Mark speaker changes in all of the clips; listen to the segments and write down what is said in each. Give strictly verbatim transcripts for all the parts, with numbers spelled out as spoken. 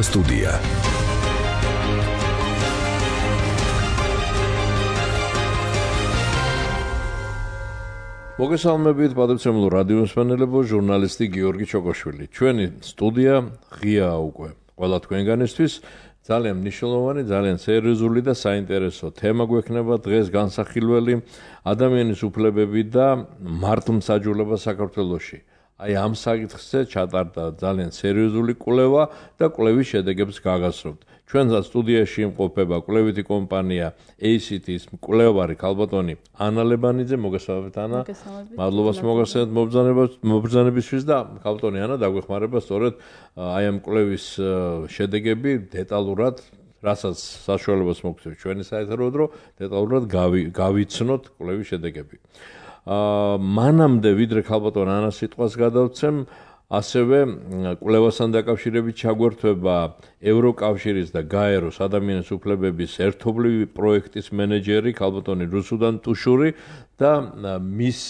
Speaker 1: სტუდია. მოგესალმებით პატრიციულ რადიო მსმენელებო, ჟურნალისტი გიორგი ჩოკოშვილი. ჩვენი სტუდია ღიაა უკვე ყველა თქვენგანისთვის. ძალიან მნიშვნელოვანი, ძალიან სერიოზული და საინტერესო თემა გვექნება დღეს განსახილველი ადამიანის უფლებები და მართლმსაჯულება საქართველოში. აი ამ საკითხზე ჩატარდა ძალიან სერიოზული კვლევა და კვლევის შედეგებს გაგაცნობთ. ჩვენ სტუდიაში იმყოფება კვლევითი კომპანია A C T-ის მკვლევარი ქალბატონი ანა ლებანიძე. მოგესალმებით ანა. მადლობას მოგახსენებთ მობრძანებისთვის და ქალბატონი ანა დაგვეხმარება სწორედ აი ამ კვლევის შედეგები დეტალურად, რასაც საშუალებას მოგცემთ ჩვენი საეთერო დრო, დეტალურად გავიცნოთ კვლევის შედეგები. აა მანამდე ვიდრე ქალბატონ ანას სიტყვას გადავცემ, ასევე კვლევასთან დაკავშირებით ჩაგვერთვება ევროკავშირის და გაეროს ადამიანის უფლებების ერთობლივი პროექტის მენეჯერი ქალბატონი რუსუდან ტუშური და მის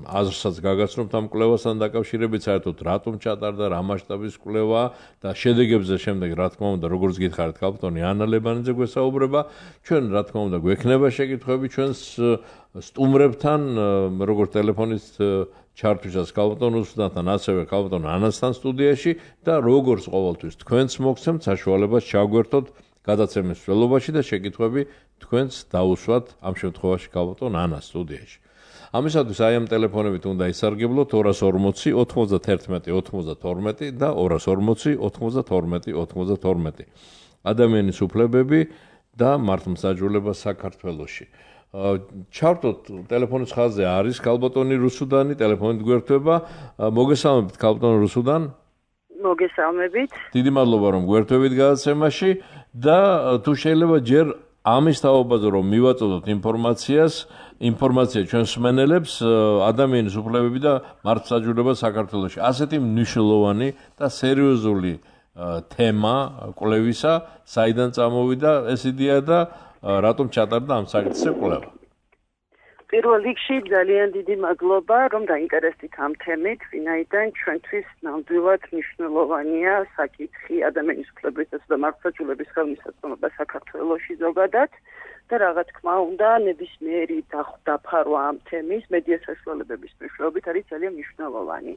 Speaker 1: აზრსაც გაგაცნობთ ამ კვლევასთან დაკავშირებით, საერთოდ რატომ ჩატარდა, რა მასშტაბის კვლევა და შედეგებზე შემდეგ რა თქმა უნდა, როგორც გითხარით, ქალბატონი ანა ლებანიძე გვესაუბრება. ჩვენ რა თქმა უნდა გვექნება შეკითხვები ჩვენს სტუმრებთან, როგორც ტელეფონის ჩართვისას ქალბატონ რუსუდანთან, ასევე ქალბატონ ანასთან სტუდიაში და როგორც ყოველთვის თქვენს მოგცემთ საშუალებას ჩაგვერთოთ გადაცემის ველობაში და შეკითხვები თქვენს დაუსვათ ამ შემთხვევაში ქალბატონ ანას სტუდიაში. ამისათვის აი ამ ტელეფონებით უნდა ისარგებლოთ ორას ორმოცი ოთხმოცდათერთმეტი ოცდათორმეტი და ორას ორმოცი ოცდათორმეტი ოცდათორმეტი. ადამიანის უფლებები და მართლმსაჯულება საქართველოში. ჩავთოთ ტელეფონის ხაზზე არის ქალბატონი რუსუდანი, ტელეფონით გვერდება. მოგესალმებით ქალბატონ რუსუდან.
Speaker 2: მოგესალმებით.
Speaker 1: დიდი მადლობა რომ გვერდებით გადაცემაში და თუ შეიძლება ჯერ ამის თაობაზე რომ მივაწოდოთ ინფორმაციას, ინფორმაცია ჩვენს მსმენელებს ადამიანის უფლებები და მართლმსაჯულება საქართველოში. ასეთი მნიშვნელოვანი და სერიოზული თემა კვლევისა, საიდან წამოვიდა ეს იდეა და რატომ ჩატარდა ამ საკითხზე კვლევა?
Speaker 2: პირველ რიგში ძალიან დიდი მადლობა რომ დაინტერესდით ამ თემით, ვინაიდან ჩვენთვის ნამდვილად მნიშვნელოვანია საკითხი ადამიანის უფლებისა და მართლმსაჯულების ხელმისაწვდომობა საქართველოში ზოგადად და რა თქმა უნდა ნებისმიერი დაფარვა ამ თემის მედია საშუალებების მეშვეობით არის ძალიან მნიშვნელოვანი.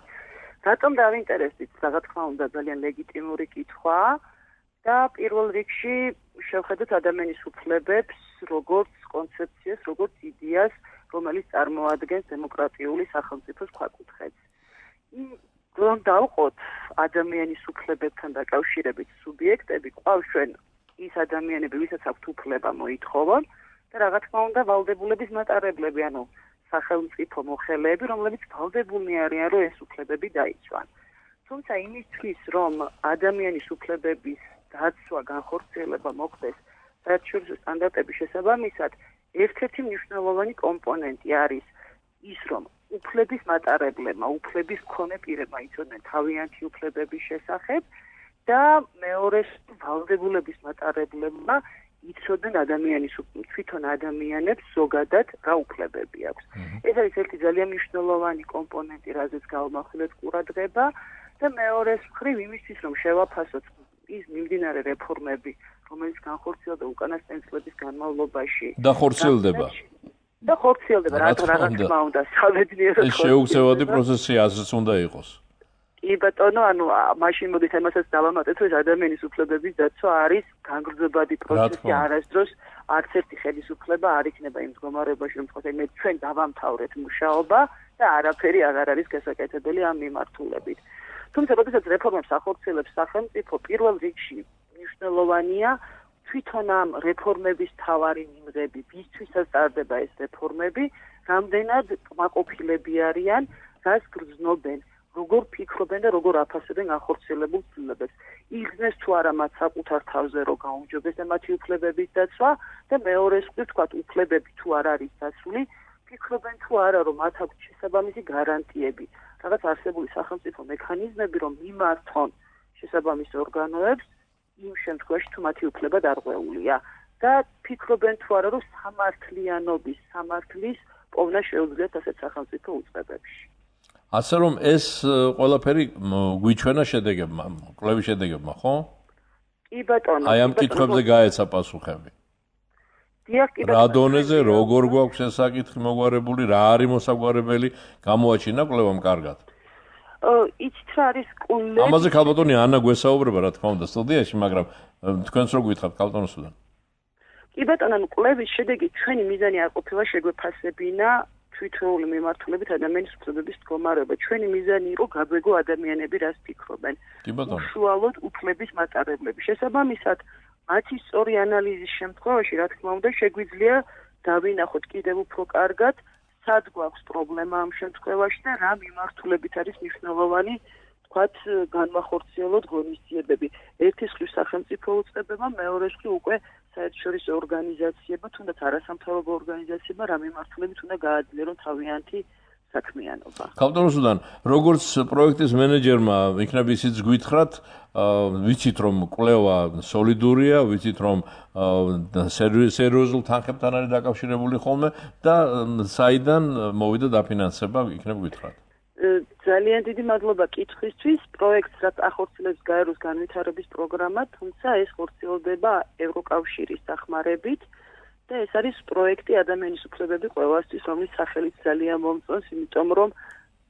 Speaker 2: რატომ დაინტერესდით? რა თქმა უნდა ძალიან ლეგიტიმური კითხვა. და პირველ რიგში შევხედოთ ადამიანის უფლებებს, როგორც კონცეფციას, როგორც იდეას, რომელიც წარმოადგენს დემოკრატიული სახელმწიფოს ქვაკუთხედს. რომ დავყოთ ადამიანის უფლებებთან დაკავშირებით სუბიექტები, ყავს ჩვენ ის ადამიანები, ვისაც აქვთ უფლება მოითხოვონ და რა თქმა უნდა ვალდებულების მატარებლები, ანუ სახელმწიფო მოხელეები, რომლებიც ვალდებულნი არიან, რომ ეს უფლებები დაიცვან. თუმცა იმისთვის, რომ ადამიანის უფლებების დაცვა, განხორციელება მოხდეს საერთაშორისო სტანდარტების შესაბამისად, ერთ-ერთი მნიშვნელოვანი კომპონენტი არის ის, რომ უფლების მატარებლებმა, უფლების მქონე პირებმა იცოდნენ თავიანთი უფლებების შესახებ და მეორე ვალდებულების მატარებლებმა იცოდნენ ადამიანის თვითონ ადამიანებს ზოგადად რა უფლებები აქვს. ეს არის ერთი ძალიან მნიშვნელოვანი კომპონენტი, რაზეც გავამახვილეთ ყურადღება და მეორეს მხრივ იმისთვის, რომ შევაფასოთ ის მიმდინარე რეფორმები, რომელიც განხორციელდა უკანასკნელი წლების განმავლობაში
Speaker 1: და ხორციელდება.
Speaker 2: და ხორციელდება, რა თქმა უნდა, სამედნიერო
Speaker 1: ეს შეუცვლელი პროცესი ასეც უნდა იყოს.
Speaker 2: კი ბატონო, ანუ მაშინ მოდით ამასაც დავამატეთ, რომ ადამიანის უფლებების დაცვა არის განგრძობადი პროცესი, არასდროს არც ერთი ხელისუფლება არ იქნება იმ მდგომარეობაში, რომ თქვა, მე ჩვენ დავამთავრეთ მუშაობა და არაფერი აღარ არის გასაკეთებელი ამ მიმართულებით. თუმცა, როდესაც რეფორმებს ახორციელებს სახელმწიფო, პირველ რიგში მნიშვნელოვანია თვითონ ამ რეფორმების მთავარი მიმღები, ვისთვისაც ტარდება ეს რეფორმები, რამდენად კმაყოფილები არიან, რას გრძნობენ, როგორ ფიქრობენ და როგორ აფასებენ ახორციელებულ ცვლილებებს. იგრძნეს თუ არა მათ საკუთარ თავზე რომ გაუმჯობეს და მათი უფლებების დაცვა და მეორე მხრივ თქვათ, უფლებები თუ არ არის დაცული, ფიქრობენ თუ არა რომ მათ აქვს შესაბამისი გარანტიები. რაღაც არსებული სახელმწიფო მექანიზმები, რომ მიმართონ შესაბამის ორგანოებს იმ შემთხვევაში, თუ მათი უფლება დარღვეულია და ფიქრობენ თუ არა, რომ სამართლიანობის, სამართლის პოვნა შეუძლიათ ასეთ სახელმწიფო უწყებებში.
Speaker 1: ასე რომ ეს ყველაფერი გვიჩვენა შედეგებმა, კვლევის შედეგებმა, ხო?
Speaker 2: კი ბატონო.
Speaker 1: აი ამ კითხვებზე გაეცა პასუხები.
Speaker 2: დიახ, კი
Speaker 1: ბატონო. რა დონეზე როგორ გვაქვს ეს საკითხი მოგვარებული, რა არის მოსაგვარებელი, გამოაჩინა კვლევამ კარგად?
Speaker 2: იცით რა არის კვლევა?
Speaker 1: ამაზე ქალბატონი ანა გვესაუბრება, რა თქმა უნდა, სტუდიაში, მაგრამ თქვენს რო გითხრათ ქალბატონოსთან.
Speaker 2: კი ბატონო, კვლევის შედეგი ჩვენი მიზანი არ ყოფილა შეგვეფასებინა თვითრეული მიმართულებით ადამიანის უფლებების მდგომარეობა. ჩვენი მიზანი იყო გაგვეგო ადამიანები რას ფიქრობენ. უშუალოდ უფლების მატარებლები. შესაბამისად, მათი სწორი ანალიზის შემთხვევაში, რა თქმა უნდა, შეგვიძლია დავინახოთ კიდევ უფრო კარგად, სად გვაქვს პრობლემა ამ შემთხვევაში და რა მიმართულებით არის მნიშვნელოვანი, თქვათ, განმახორციელოთ ღონისძიებები. ერთის მხრივ სახელმწიფო უწყებებმა, მეორეს მხრივ უკვე საერთაშორისო ორგანიზაციებმა, თუნდაც არასამთავრობო ორგანიზაციებმა რა მიმართულებით უნდა გააძლიერონ თავიანთი საქმიანობა.
Speaker 1: ქალბატონოსთან, როგორც პროექტის მენეჯერმა, იქნებ ისიც გითხრათ, ვიცით რომ კვლევა სოლიდურია, ვიცით რომ სერიოზულ თანხებთან არის დაკავშირებული ხოლმე და საიდან მოვიდა დაფინანსება, იქნებ გითხრათ.
Speaker 2: ძალიან დიდი მადლობა კითხვისთვის. პროექტს რაც ახორციელებს გაეროს განვითარების პროგრამა, თუმცა ეს ხორციელდება ევროკავშირის დახმარებით და ეს არის პროექტი ადამიანის უფლებები ყველასთვის, რომლის სახელით ძალიან მომწონს, იმიტომ რომ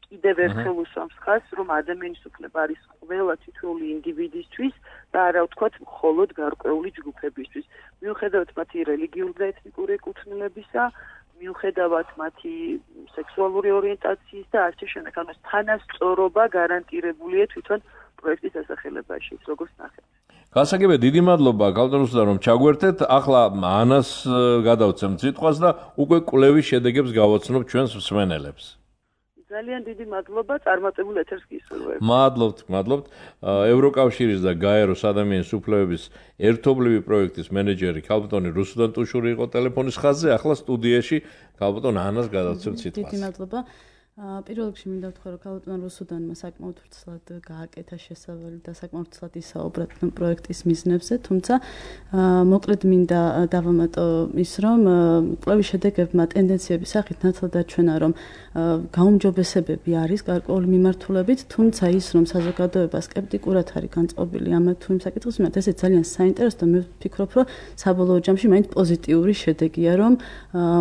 Speaker 2: კიდევ ერთხელ უსვამს ხაზს, რომ ადამიანის უფლება არის ყველა თითოეული ინდივიდისთვის და არა ვთქვათ მხოლოდ გარკვეული ჯგუფებისთვის. მიუხედავად მათი რელიგიური და ეთნიკური ეკუთვნილებისა, მიუხედავად მათი სექსუალური ორიენტაციის და ასე შემდეგ, ანუ თანასწორობა გარანტირებულია თვითონ პროექტის დასახელებაში, როგორც ნახეთ.
Speaker 1: გასაგებია, დიდი მადლობა ქალბატონოსთან რომ ჩაგვერთეთ. ახლა ანას გადავცემთ სიტყვას და უკვე კვლევის შედეგებს გავაცნობ ჩვენს მსმენელებს.
Speaker 2: ძალიან დიდი მადლობა, წარმატებულ ეთერს გისურვებ.
Speaker 1: მადლობთ, მადლობთ. ევროკავშირის და გაეროს ადამიანის უფლებების ერთობლივი პროექტის მენეჯერი ქალბატონი რუსუდან ტუშური იყო ტელეფონის ხაზზე, ახლა სტუდიაში ქალბატონ ანას გადავცემთ სიტყვას.
Speaker 3: დიდი მადლობა. პირველ რიგში მინდა ვთქვა, რომ ქალბატონ რუსუდანმა საკმაოდ ვრცლად გააკეთა შესავალი და საკმაოდ ვრცლად ისაუბრა პროექტის მიზნებზე, თუმცა მოკლედ მინდა დავამატო ის, რომ კვლევის შედეგებმა ტენდენციების სახით ნათლად აჩვენა, რომ გაუმჯობესებები არის გარკვეული მიმართულებით, თუმცა ის, რომ საზოგადოება სკეპტიკურად არის განწყობილი ამ თუ იმ საკითხის მიმართ, ესე ძალიან საინტერესო და მე ვფიქრობ, რომ საბოლოო ჯამში მაინც პოზიტიური შედეგია, რომ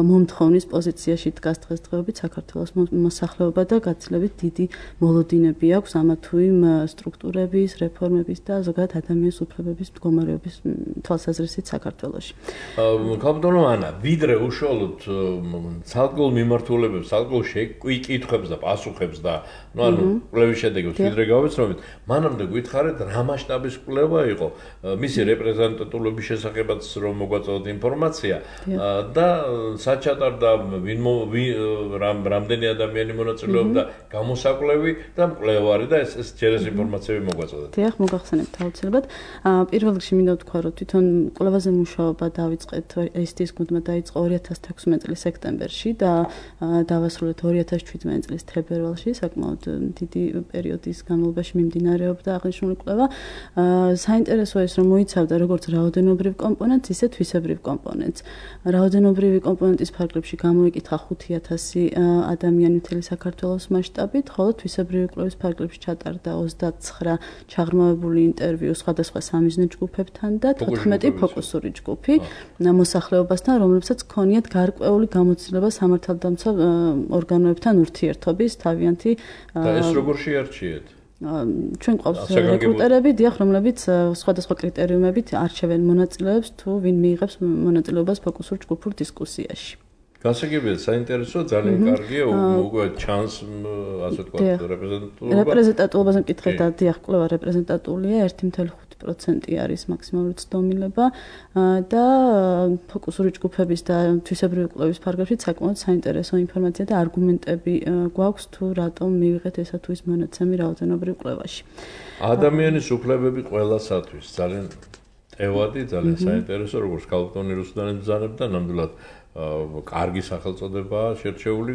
Speaker 3: მომთხოვნის პოზიციაში დგას დღესდღეობით საქართველოს მოსახლეობა და გაცილებით დიდი მოლოდინები აქვს ამა თუ იმ სტრუქტურების, რეფორმების და ზოგადად ადამიანის უფლებების მდგომარეობის თვალსაზრისით საქართველოში.
Speaker 1: ქალბატონო ანა, ვიდრე უშუალოდ ცალკეულ მიმართულებებს, ცალკეულ კითხვებს და პასუხებს და ну ანუ კვლევის შედეგებს ვიდრე გავეცნობთ, მანამდე გითხარით რა მასშტაბის კვლევა იყო, მისი რეპრეზენტატულობის შესახებაც რომ მოგვაწოდოთ ინფორმაცია და სად ჩატარდა ვინ რამდენი ადამიანი მონაწილეობდა გამოსაკვლევი და მკვლევარი და ეს ეს ჯერ ეს ინფორმაციები მოგვაწოდეთ.
Speaker 3: დიახ, მოგახსენებთ აუცილებლად. პირველ რიგში მინდა ვთქვა, რომ თვითონ კვლევაზე მუშაობა დავიწყეთ ეს ის გუნდმა დაიწყო ორი ათას თექვსმეტი წლის სექტემბერში და დავასრულეთ ორი ათას შვიდმეტი წლის თებერვალში, საკმაოდ დიდი პერიოდის განმავლობაში მიმდინარეობდა აღნიშნული კვლევა. საინტერესოა ის, რომ მოიცავდა როგორც რაოდენობრივ კომპონენტს, ისე თვისებრივ კომპონენტს. რაოდენობრივი კომპონენტის ფარგლებში გამოიკითხა ხუთი ათასი ადამიანი მთელი საქართველოს მასშტაბით, ხოლო თვისებრივი კვლევის ფარგლებში ჩატარდა ოცდაცხრა ჩაღრმავებული ინტერვიუ სხვადასხვა სამიზნე ჯგუფებთან და თოთხმეტი ფოკუსური ჯგუფი მოსახლეობასთან, რომლებსაც ჰქონიათ გარკვეული გამოცდილება სამართალდამცავ ორგანოებთან ურთიერთობის თავიანთი
Speaker 1: და ეს როგორ შეარჩიეთ?
Speaker 3: ჩვენ ყავს რეკრუტერები, დიახ, რომლებიც სხვადასხვა კრიტერიუმებით არჩევენ მონაწილეებს თუ ვინ მიიღებს მონაწილეობას ფოკუსურ ჯგუფურ დისკუსიაში.
Speaker 1: გასაგებია, საინტერესო, ძალიან კარგია, უკვე ჩანს, ასე ვთქვათ, რეპრეზენტატულობა.
Speaker 3: რეპრეზენტატულობაზე მკითხეთ, დიახ, კვლევა რეპრეზენტატულია, ერთი ფاصლე ხუთი პროცენტი არის მაქსიმალური ცდომილება და ფოკუსური ჯგუფების და თვისებრივი კვლევის ფარგლებში საკმაოდ საინტერესო ინფორმაცია და არგუმენტები გვაქვს თუ რატომ მივიღეთ ესა თუ ის მონაცემი რაოდენობრივ კვლევაში.
Speaker 1: ადამიანის უფლებები ყველასათვის ძალიან ტევადი, ძალიან საინტერესო, როგორც ქალბატონი რუსუდანის ბრძანებდა, ნამდვილად კარგი სახელწოდებაა შერჩეული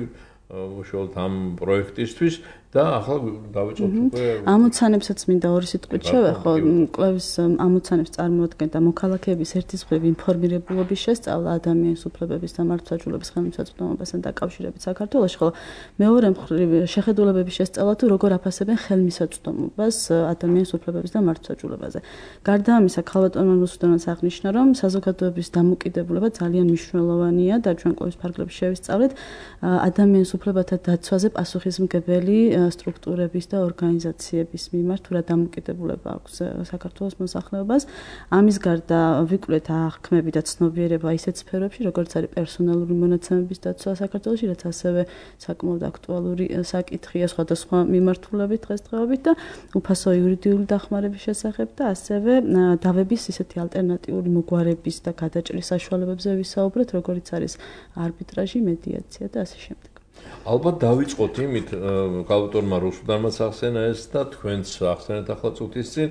Speaker 1: უშუალოდ ამ პროექტისთვის და ახლა დავიწყოთ უკვე
Speaker 3: ამოცანებსაც მინდა ორი სიტყვით შევეხო. კვლევის ამოცანებს წარმოადგენდა მოქალაქეების ერთისმხრივ ინფორმირებულობის შესწავლა ადამიანის უფლებების და მართლმსაჯულების ხელმისაწვდომობასთან დაკავშირებით საქართველოში, ხოლო მეორე მხრივ შეხედულებების შესწავლა თუ როგორ აფასებენ ხელმისაწვდომობას ადამიანის უფლებების და მართლმსაჯულებაზე. გარდა ამისა, ქალბატონმა რუსუდანაც აღნიშნა, რომ საზოგადოების დამოკიდებულება ძალიან მნიშვნელოვანია და ჩვენ კვლევის ფარგლებში შევისწავლეთ ადამიანის უფლებათა დაცვაზე პასუხისმგებელი სტრუქტურების და ორგანიზაციების მიმართ თუ რა დამოკიდებულება აქვს საქართველოს მოსახლეობას. ამის გარდა ვიკვლეთ აღქმები და ცნობიერება ისეთ სფეროებში, როგორც არის პერსონალური მონაცემების დაცვა საქართველოში, რაც ასევე საკმაოდ აქტუალური საკითხია სხვადასხვა მიმართულებით დღესდღეობით და უფასო იურიდიული დახმარების შესახებ და ასევე დავების ისეთი ალტერნატიული მოგვარების და გადაჭრის საშუალებებზე ვისაუბრეთ, როგორიც არის არბიტრაჟი, მედიაცია და ასე შემდეგ.
Speaker 1: ალბათ დავიწყოთ იმით, ქალბატონმა რუსუდანმაც ახსენა ეს და თქვენც ახსენეთ ახლა წუთის წინ,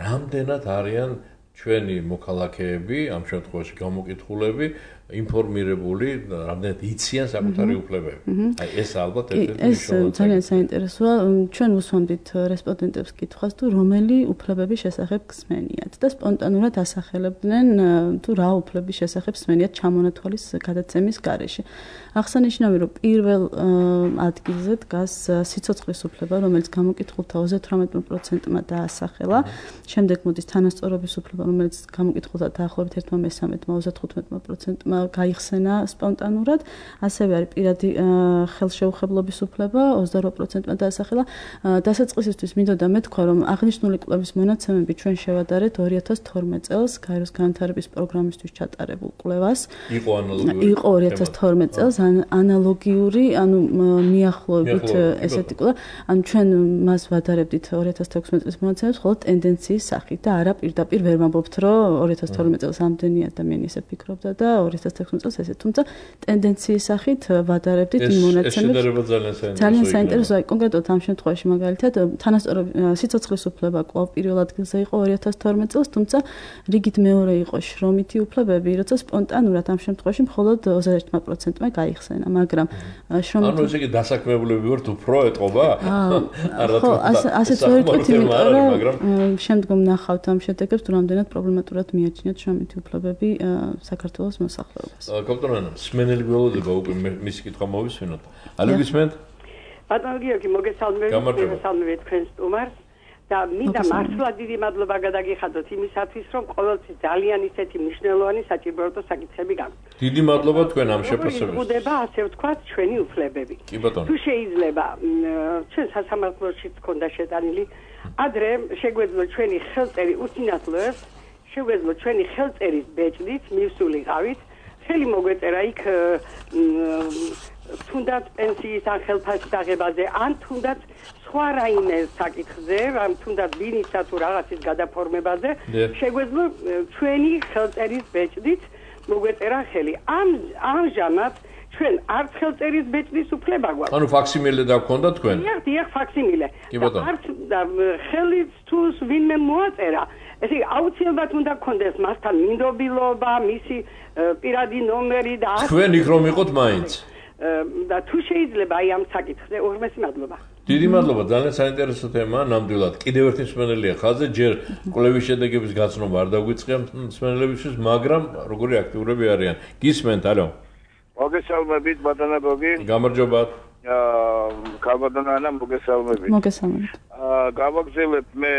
Speaker 1: რამდენად არიან ჩვენი მოქალაქეები, ამ შემთხვევაში გამოკითხულები, ინფორმირებული, რამდენად იციან საკუთარი უფლებები. აი ეს ალბათ ერთ-ერთი მნიშვნელოვანი.
Speaker 3: ეს ძალიან საინტერესოა. ჩვენ უსვამდით რესპონდენტებს კითხვას, თუ რომელი უფლებების შესახებ გსმენიათ და სპონტანურად ასახელებდნენ, თუ რა უფლების შესახებ სმენიათ ჩამონათვალის გადაცემის გარეშე. აღსანიშნავია, რომ პირველ ადგილზე დგას სიცოცხლის უფლება, რომელიც გამოკითხულთა ოცდაოთხ პროცენტმა დაასახელა. შემდეგ მოდის თანასწორობის უფლება, რომელიც გამოკითხულთა დაახლოებით ერთ მესამედმა ოცდათხუთმეტ პროცენტმა გაიხსენა სპონტანურად. ასევე არის პირადი ხელშეუხებლობის უფლება, ოცდაოთხ პროცენტმა დაასახელა. დასაწყისისთვის მინდოდა მეთქვა, რომ აღნიშნული კვლევის მონაცემები ჩვენ შევადარეთ ორი ათას თორმეტ წელს გაეროს განვითარების პროგრამისთვის ჩატარებულ კვლევას.
Speaker 1: იყო ანალოგიური.
Speaker 3: იყო ორი ათას თორმეტ წელს ანალოგიური, ანუ მიახლოებით ესეთი კვლევა. ანუ ჩვენ მას ვადარებდით ორი ათას თექვსმეტ წლის მონაცემებს, ხოლო ტენდენციის სახით და არა პირდაპირ ვერ ვამბობთ, რომ ორი ათას თორმეტ წელს ამდენი ადამიანი ესე ფიქრობდა და ორი ათას თექვსმეტ წელს ესე, თუმცა ტენდენციის სახით ვადარებდით იმ მონაცემებს.
Speaker 1: ეს შედარება ძალიან საინტერესოა.
Speaker 3: ძალიან საინტერესოა, კონკრეტულად ამ შემთხვევაში მაგალითად თანასწორობის სიცოცხლის უფლება კვლავ პირველ ადგილზე იყო ორი ათას თორმეტ წელს, თუმცა რიგით მეორე იყო შრომითი უფლებები, როცა სპონტანურად ამ შემთხვევაში მხოლოდ ოცდაერთი პროცენტმა გაიხსენა, მაგრამ შრომითი
Speaker 1: ანუ ესე იგი დასაქმებულები ვართ უფრო ეტყობა?
Speaker 3: არა თუ ასეც ვერ ვიტყვით, იმიტომ რომ შემდგომ ნახავთ ამ შედეგებს, თუ რამდენად პრობლემატურად მიაჩნიათ შრომითი უფლებები საქართველოს მოსახლეობას.
Speaker 1: კაპიტანო, სმენელი გველოდება უკვე მისი კითხვა მოვისვენოთ. ალო გისმენთ?
Speaker 4: ბატონო გიორგი, მოგესალმებით, მოგესალმებით თქვენ სტუმარს და მინდა მართლა დიდი მადლობა გადაგიხადოთ იმისათვის, რომ ყოველთვის ძალიან ისეთი მნიშვნელოვანი საჭიროებო საკითხები გაქვთ.
Speaker 1: დიდი მადლობა თქვენ ამ შეფასებისთვის.
Speaker 4: იზრდება, ასე ვთქვათ, ჩვენი უფლებები.
Speaker 1: კი ბატონო.
Speaker 4: თუ შეიძლება, ჩვენ სასამართლოში გქონდა შეტანილი, ადრე შეგვეძლო ჩვენი ხელწერი უსინათლოებს, შეგვეძლო ჩვენი ხელწერის ბეჭდით მივსულიყავით, ხელი მოგვეწერა იქ თუნდაც პენსიის ან ხელფასის აღებაზე, ან თუნდაც სხვა რაიმე საკითხზე, ან თუნდაც ბინისა თუ რაღაცის გადაფორმებაზე, შეგვეძლო ჩვენი ხელწერის ბეჭდით მოგვეწერა ხელი. ამ ამჟამად ჩვენ არც ხელწერის ბეჭდის უფლება გვაქვს.
Speaker 1: ანუ ფაქსიმილე დაგქონდა თქვენ?
Speaker 4: დიახ, დიახ, ფაქსიმილე.
Speaker 1: კი ბატონო.
Speaker 4: არც ხელით თუ ვინმე მოაწერა, ესე აუცილებლად უნდა გქონდეს მასთან მინდობილობა, მისი პირადი ნომერი და
Speaker 1: თქვენ იქ რომ იყოთ მაინც.
Speaker 4: და თუ შეიძლება აი ამ საკითხზე უღრმესი მადლობა.
Speaker 1: დიდი მადლობა, ძალიან საინტერესო თემაა, ნამდვილად. კიდევ ერთი მსმენელია ხაზზე, ჯერ კვლევის შედეგების გაცნობა არ დაგვიწყია მსმენელებისთვის, მაგრამ როგორი აქტიურები არიან. გისმენთ, ალო.
Speaker 5: მოგესალმებით, ბატონო გოგი.
Speaker 1: გამარჯობათ.
Speaker 5: აა, ქალბატონო, მოგესალმებით.
Speaker 3: მოგესალმებით.
Speaker 5: აა, გავაგზავნებ მე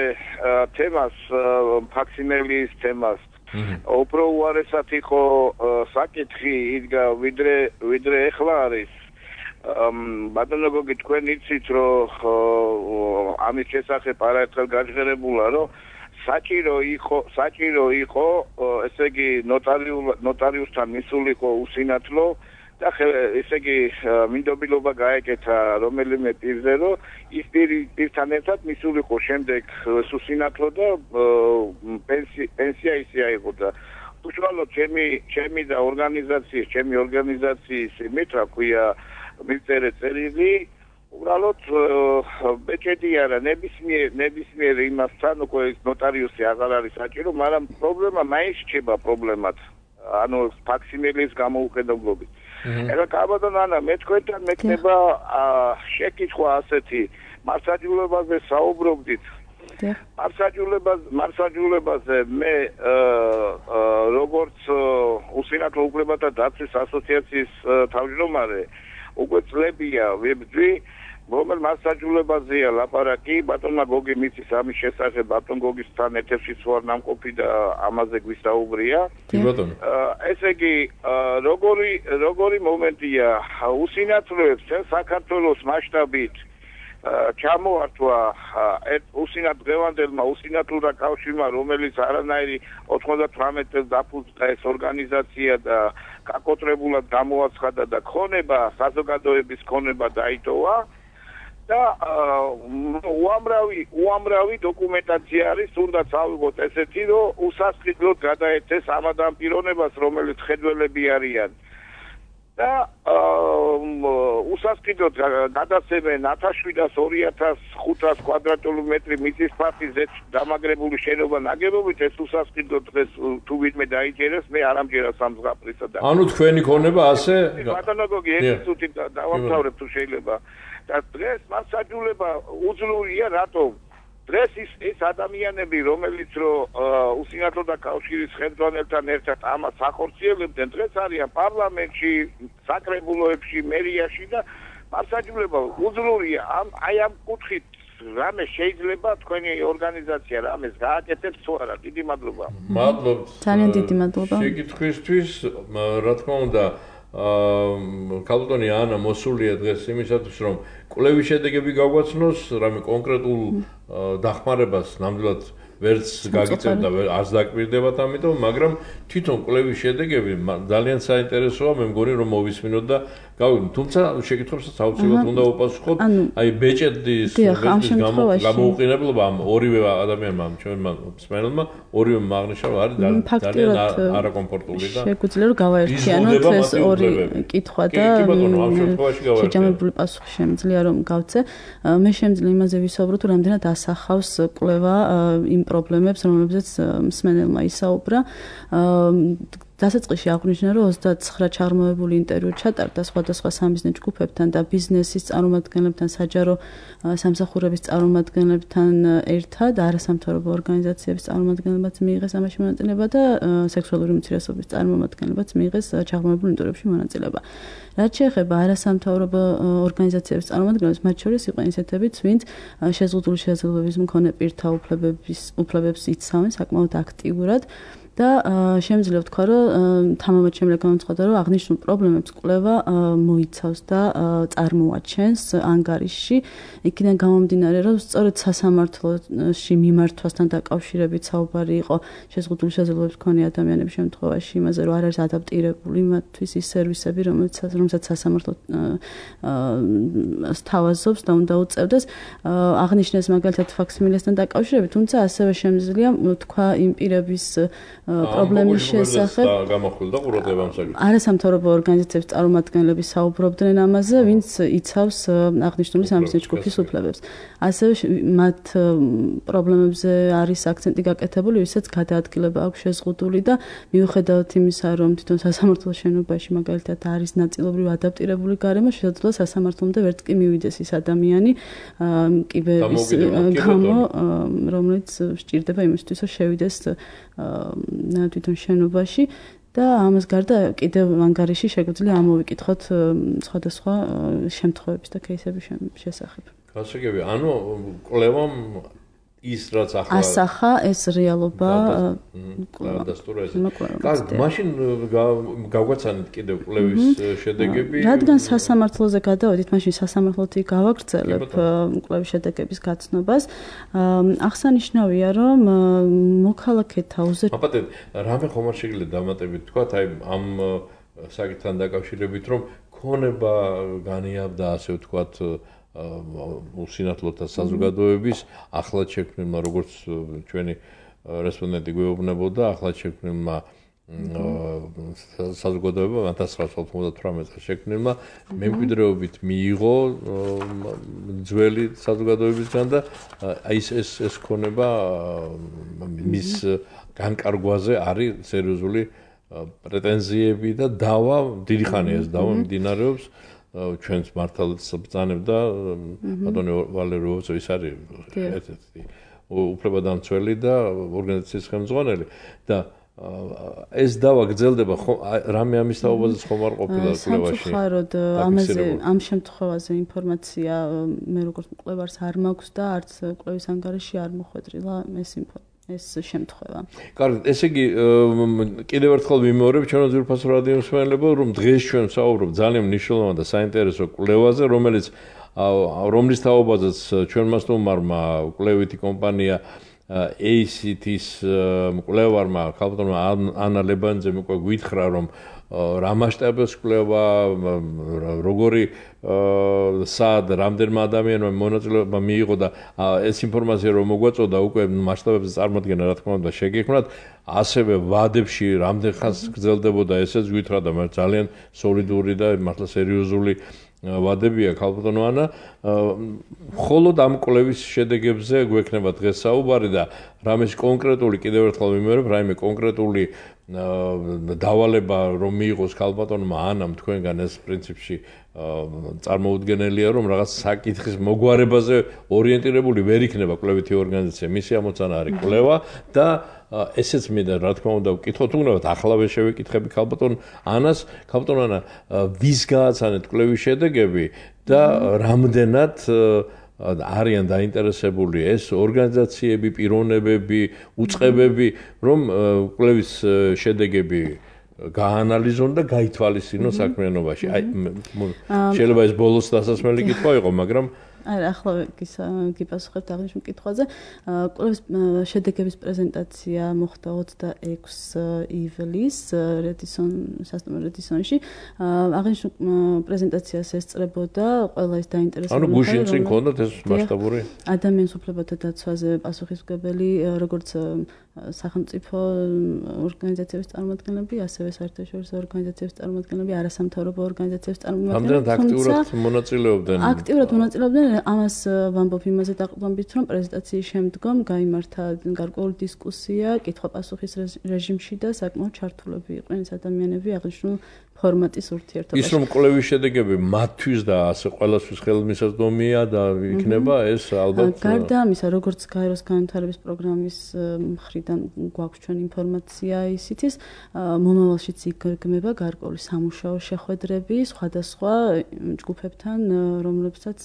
Speaker 5: თემას, ფაქსიმილის თემას. უფრო უარესად იყო საკითხი იდგა ვიდრე ვიდრე ეხლა არის. ბატონო გოგი, თქვენ იცით, რომ ამის შესახებ არაერთხელ გაჟღერებულა, რომ საჭირო იყო, საჭირო იყო, ესე იგი ნოტარიუსთან მისულიყო უსინათლო და ესე იგი მინდობილობა გაეკეთა რომელიმე პირზე, რომ ის პირთან ერთად მისულიყო შემდეგ უსინათლო და პენსია ისე აიღო და უშუალოდ ჩემი ჩემი და ორგანიზაციის, ჩემი ორგანიზაციის იმით, რა ქვია, მივწერე წერილი, უბრალოდ ბეჭედი არა, ნებისმიერ ნებისმიერ იმასთან უკვე ნოტარიუსი აღარ არის საჭირო, მაგრამ პრობლემა მაინც რჩება პრობლემად. ანუ ფაქსიმილის გამოუყენებლობით. ეხლა კაბადონ ანა მე თქვენთან მექნება შეკითხვა ასეთი მარსაჯულებაზე საუბრობდით მარსაჯულებაზე მარსაჯულებაზე მე როგორც უსინათლო უფლებათა დაცვის ასოციაციის თავმჯდომარე უკვე წლებია ვებძვი რომელ მარსაჯულებაზეა ლაპარაკი ბატონმა გოგი მიცის ამის შესახებ ბატონ გოგისთან ეთერშიც ვარ ნამყოფი და ამაზე გვისაუბრია
Speaker 1: კი ბატონო
Speaker 5: ესე იგი როგორი როგორი მომენტია უსინათლოებს საქართველოს მასშტაბით ჩამოართვა უსინათ დღევანდელმა უსინათლურა კავშირმა რომელიც არანაირი ოთხმოცდათვრამეტ წელს დაფუძნდა ეს ორგანიზაცია და გაკოტრებულად გამოაცხადა და ქონება საზოგადოების ქონება დაიტოვა და უამრავი უამრავი დოკუმენტაცია არის თუნდაც ავიღოთ ესეთი რომ უსასყიდლოდ გადაეცეს ამ ამ პიროვნებას რომელიც ხედველები არიან და უსასყიდლოდ გადაცემენ ათას შვიდას ორი ათას ხუთას კვადრატული მეტრი მიწის ფართის დამაგრებული შენობა ნაგებობით ეს უსასყიდლოდ დღეს თუ ვინმე დაიჭერეს მე არ ამჯერა სამზღაპრისა და
Speaker 1: ანუ თქვენი ქონება ასე
Speaker 5: ბატონო გოგი ერთი წუთი დავამთავრებ თუ შეიძლება და დღეს მასაჯულება უძლურია რატომ დღეს ის ეს ადამიანები რომელიც რო უსინათლო და კავშირის ხელმძღვანელთან ერთად ამას ახორციელებდნენ დღეს არიან პარლამენტში საკრებულოებში მერიაში და მასაჯულება უძლურია ამ აი ამ კუთხით რამე შეიძლება თქვენი ორგანიზაცია რამეს გააკეთებს თუ არა დიდი მადლობა
Speaker 1: მადლობთ
Speaker 3: ძალიან დიდი მადლობა
Speaker 1: შეკითხვისთვის რა თქმა უნდა კალუტონი ანა მოსულია დღეს იმისათვის რომ კვლევის შედეგები გაგვაცნოს რამე კონკრეტულ დახმარებას ნამდვილად ვერც გაგიწევთ და არც დაკვირდებათ ამიტომ მაგრამ თვითონ კვლევის შედეგები ძალიან საინტერესოა მე მგონი რომ მოვისმინოთ და გავიგოთ თუმცა შეკითხვებსაც აუცილებლად უნდა უპასუხოთ აი ბეჭედის გამოუყენებლობა ამ ორივე ადამიანმა ჩვენმა მსმენელმა ორივე აღნიშნა არის ძალიან არაკომფორტული და
Speaker 3: შეგვიძლია რომ გავაერთიანოთ ეს ორი კითხვა და შეჯამებული პასუხი შემიძლია რომ გავცე მე შემიძლია იმაზე ვისაუბრო თუ რამდენად ასახავს კვლევა იმ პრობლემებს რომლებზეც მსმენელმა ისაუბრა დასაწყისში აღნიშნა რომ ოცდაცხრა ჩაღრმავებული ინტერვიუ ჩატარდა სხვადასხვა სამიზნე ჯგუფებთან და ბიზნესის წარმომადგენლებთან, საჯარო სამსახურების წარმომადგენლებთან ერთად, არასამთავრობო ორგანიზაციების წარმომადგენლებაც მიიღეს ამაში მონაწილეობა და სექსუალური უმცირესობის წარმომადგენლებაც მიიღეს ჩაღრმავებულ ინტერვიუებში მონაწილეობა. რაც შეეხება არასამთავრობო ორგანიზაციების წარმომადგენლებს, მათ შორის იყო ისეთებიც, ვინც შეზღუდული შესაძლებლობების მქონე პირთა უფლებების უფლებებს იცავენ საკმაოდ აქტიურად. და შემიძლია ვთქვა, რომ თამამად შემიძლია განვცხადო, რომ აღნიშნულ პრობლემებს კვლევა მოიცავს და წარმოაჩენს ანგარიშში. იქიდან გამომდინარე, რომ სწორედ სასამართლოში მიმართვასთან დაკავშირებით საუბარი იყო შეზღუდული შესაძლებლობების მქონე ადამიანების შემთხვევაში იმაზე, რომ არ არის ადაპტირებული მათთვის ის სერვისები, რომელიც რომელსაც სასამართლო სთავაზობს და უნდა უწევდეს. აღნიშნეს მაგალითად ფაქსიმილესთან დაკავშირებით, თუმცა ასევე შემიძლია ვთქვა იმ პირების პრობლემის შესახებ
Speaker 1: გამოხვილდა ყურადღება ამ საკითხს.
Speaker 3: არასამთავრობო ორგანიზაციების წარმომადგენლები საუბრობდნენ ამაზე, ვინც იცავს აღნიშნული სამიზნე ჯგუფის უფლებებს. ასევე მათ პრობლემებზე არის აქცენტი გაკეთებული, ვისაც გადაადგილება აქვს შეზღუდული და მიუხედავად იმისა, რომ თვითონ სასამართლოს შენობაში მაგალითად არის ნაწილობრივ ადაპტირებული გარემო, შესაძლოა სასამართლომდე ვერც კი მივიდეს ის ადამიანი კიბეების გამო, რომელიც სჭირდება იმისთვის, რომ შევიდეს თვითონ შენობაში და ამას გარდა კიდევ ანგარიში შეგვიძლია ამოვიკითხოთ სხვადასხვა შემთხვევების და кейსების შესახებ.
Speaker 1: გასაგები, ანუ კვლევამ ის რაც ახლა
Speaker 3: ასახა ეს რეალობა
Speaker 1: დასტურა ეს. კარგი, მაშინ გავგვაცანით კიდევ კვლევის შედეგები.
Speaker 3: რადგან სასამართლოზე გადავედით, მაშინ სასამართლოთი გავაგრძელებ კვლევის შედეგების გაცნობას. აღსანიშნავია, რომ მოქალაქეთა უზეთ
Speaker 1: აპატეთ, რამე ხომ არ შეგიძლიათ დამატებით თქვათ, აი ამ საკითხთან დაკავშირებით, რომ ქონება განიაბდა ასე ვთქვათ უსინათლოთა საზოგადოების ახლად შექმნილმა, როგორც ჩვენი რესპონდენტი გვეუბნებოდა, ახლად შექმნილმა საზოგადოებამ ათას ცხრაასი ოცდათვრამეტ წელს შექმნილმა მემკვიდრეობით მიიღო ძველი საზოგადოებისგან და აი ეს ეს ეს ქონება მის განკარგვაზე არის სერიოზული პრეტენზიები და დავა დიდი ხანია ეს დავა მიმდინარეობს ჩვენს მართალაც ბრძანებდა ბატონი ვალერი როუცო ის არის ერთ-ერთი უფლებადამცველი და ორგანიზაციის ხელმძღვანელი და ეს დავა გრძელდება რამე ამის თაობაზეც ხომ არ ყოფილა კვლევაში.
Speaker 3: სამწუხაროდ ამაზე ამ შემთხვევაზე ინფორმაცია მე როგორც მკვლევარს არ მაქვს და არც კვლევის ანგარიში არ მოხვედრილა ეს ეს შემთხვევა.
Speaker 1: კარგი, ესე იგი კიდევ ერთხელ ვიმეორებ ჩვენო ძვირფასო რადიო მსმენელებო, რომ დღეს ჩვენ ვსაუბრობ ძალიან მნიშვნელოვან და საინტერესო კვლევაზე, რომელიც რომლის თაობაზეც ჩვენ მას თუმარმა კვლევითი კომპანია A C T-ის მკვლევარმა ქალბატონმა ანა ლებანძემ უკვე გვითხრა რომ რა მასშტაბის კვლევა როგორი სად რამდენმა ადამიანმა მონაწილეობა მიიღო და ეს ინფორმაცია რომ მოგვაწოდა უკვე მასშტაბებზე წარმოადგენა რა თქმა უნდა შეგექმნათ ასევე ვადებში რამდენ ხანს გრძელდებოდა ესეც გვითხრა და მე ძალიან სოლიდური და მართლა სერიოზული ვადებია ქალბატონო ანა მხოლოდ ამ კვლევის შედეგებზე გვექნება დღეს საუბარი და რამეს კონკრეტული კიდევ ერთხელ ვიმეორებ რაიმე კონკრეტული დავალება რომ მიიღოს ქალბატონმა ანამ თქვენგან ეს პრინციპში წარმოუდგენელია რომ რაღაც საკითხის მოგვარებაზე ორიენტირებული ვერ იქნება კვლევითი ორგანიზაცია მისი ამოცანა არის კვლევა და ესეც მინდა რა თქმა უნდა ვკითხოთ უგნებათ ახალავე შევეკითხები ქალბატონ ანას ქალბატონ ანა ვის გააცანეთ კვლევის შედეგები და რამდენად არიან დაინტერესებული ეს ორგანიზაციები, პიროვნებები, უწყებები, რომ კვლევის შედეგები გაანალიზონ და გაითვალისწინონ საქმიანობაში. აი შეიძლება ეს ბოლოს დასასმელი კითხვა იყო, მაგრამ
Speaker 3: არა, ახლა გიპასუხებთ აღნიშნულ კითხვაზე. კვლევის შედეგების პრეზენტაცია მოხდა ოცდაექვსი ივლისს რედისონ სასტუმრო რედისონში. აღნიშნულ პრეზენტაციას ესწრებოდა ყველა ის დაინტერესებული.
Speaker 1: ანუ გუშინ წინ ქონდათ ეს მასშტაბური
Speaker 3: ადამიანის უფლებათა დაცვაზე პასუხისმგებელი როგორც სახელმწიფო ორგანიზაციების წარმომადგენლები, ასევე საერთაშორისო ორგანიზაციების წარმომადგენლები, არასამთავრობო ორგანიზაციების წარმომადგენლები.
Speaker 1: ამდენად აქტიურად მონაწილეობდნენ.
Speaker 3: აქტიურად მონაწილეობდნენ, ამას ვამბობ იმაზე დაყრდნობით, რომ პრეზენტაციის შემდგომ გაიმართა გარკვეული დისკუსია, კითხვა-პასუხის რეჟიმში და საკმაოდ ჩართულები იყვნენ ეს ადამიანები აღნიშნულ ფორმატის ურთიერთობაში.
Speaker 1: ის რომ კვლევის შედეგები მათთვის და ასე ყველასთვის ხელმისაწვდომია და იქნება ეს ალბათ
Speaker 3: გარდა ამისა, როგორც გაეროს განვითარების პროგრამის მხრიდან გვაქვს ჩვენ ინფორმაცია ისიც მომავალშიც იგეგმება გარკვეული სამუშაო შეხვედრები სხვადასხვა ჯგუფებთან, რომლებსაც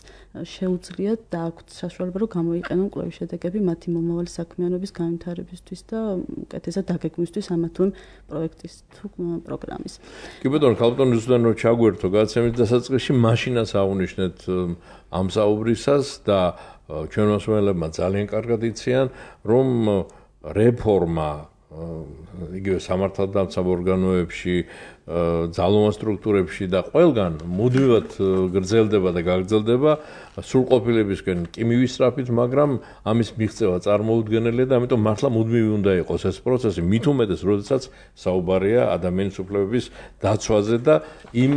Speaker 3: შეუძლიათ და აქვთ საშუალება რომ გამოიყენონ კვლევის შედეგები მათი მომავალი საქმიანობის განვითარებისთვის და უკეთესად დაგეგმვისთვის ამა თუ იმ პროექტის თუ პროგრამის.
Speaker 1: ბატონო ქალბატონი ზუსტად რომ ჩაგვერთო გაცემის დასაწყისში მაშინაც აღნიშნეთ ამ საუბრისას და ჩვენ მოსმენელებმა ძალიან კარგად იციან რომ რეფორმა იგივე სამართალდამცავ ორგანოებში ძალოვან სტრუქტურებში და ყველგან მუდმივად გრძელდება და გაგრძელდება სრულყოფილებისკენ კი მივისწრაფით, მაგრამ ამის მიღწევა წარმოუდგენელია და ამიტომ მართლა მუდმივი უნდა იყოს ეს პროცესი, მით უმეტეს, როდესაც საუბარია ადამიანის უფლებების დაცვაზე და იმ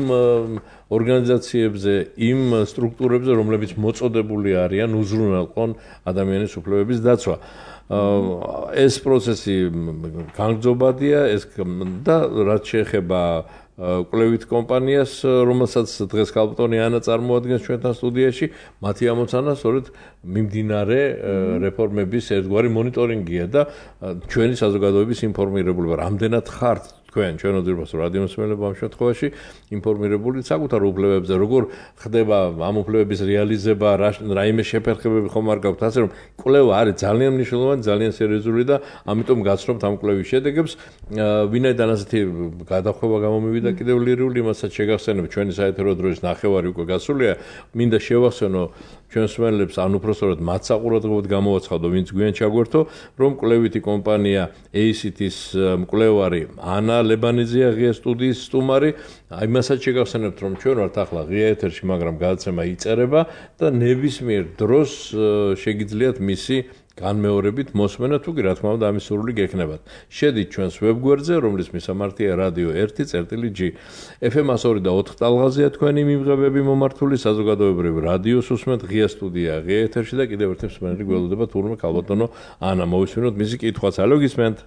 Speaker 1: ორგანიზაციებზე, იმ სტრუქტურებზე, რომლებიც მოწოდებული არიან უზრუნველყონ ადამიანის უფლებების დაცვა. ეს პროცესი განგრძობადია ეს და რაც შეეხება კვლევით კომპანიას, რომელსაც დღეს ქალბატონი ანა წარმოადგენს ჩვენთან სტუდიაში, მათი ამოცანა სწორედ მიმდინარე რეფორმების ერთგვარი მონიტორინგია და ჩვენი საზოგადოების ინფორმირებულობა. რამდენად ხართ თქვენ ჩვენო ძვირფასო რადიო მსმენელებო ამ შემთხვევაში ინფორმირებული საკუთარ უფლებებზე, როგორ ხდება ამ უფლებების რეალიზება, რაიმე შეფერხებები ხომ არ გაქვთ, ასე რომ კვლევა არის ძალიან მნიშვნელოვანი, ძალიან სერიოზული და ამიტომ გაცნობთ ამ კვლევის შედეგებს. ვინაიდან ასეთი გადახვევა გამომივიდა კიდევ ლირიული, იმასაც შეგახსენებ ჩვენი საეთერო დროის ნახევარი უკვე გასულია, მინდა შევახსენო ჩვენ მსმენელებს ან უпростоრად მათ საყურადღებოდ გამოვაცხადო, ვინც გვიან ჩაგვერთო, რომ კვლევითი კომპანია A C T-ის მკვლევარი ანა ლებანიძეა ღია სტუდიის სტუმარი. იმასაც შეგახსენებთ, რომ ჩვენ ვართ ახლა ღია ეთერში, მაგრამ გადაცემა იწერება და ნებისმიერ დროს შეგიძლიათ მისი განმეორებით მოსმენა თუ კი რა თქმა უნდა ამის სურვილი გექნებათ. შედით ჩვენს ვებგვერდზე, რომლის მისამართია რადიო ერთი წერტილი G. F M one oh four ტალღაზეა თქვენი მიმღებები მომართული საზოგადოებრივი რადიოს უსმენთ ღია სტუდია ღია ეთერში და კიდევ ერთი მსმენელი გველოდება თურმე ქალბატონო ანა მოვისმინოთ მისი კითხვაც. ალო გისმენთ?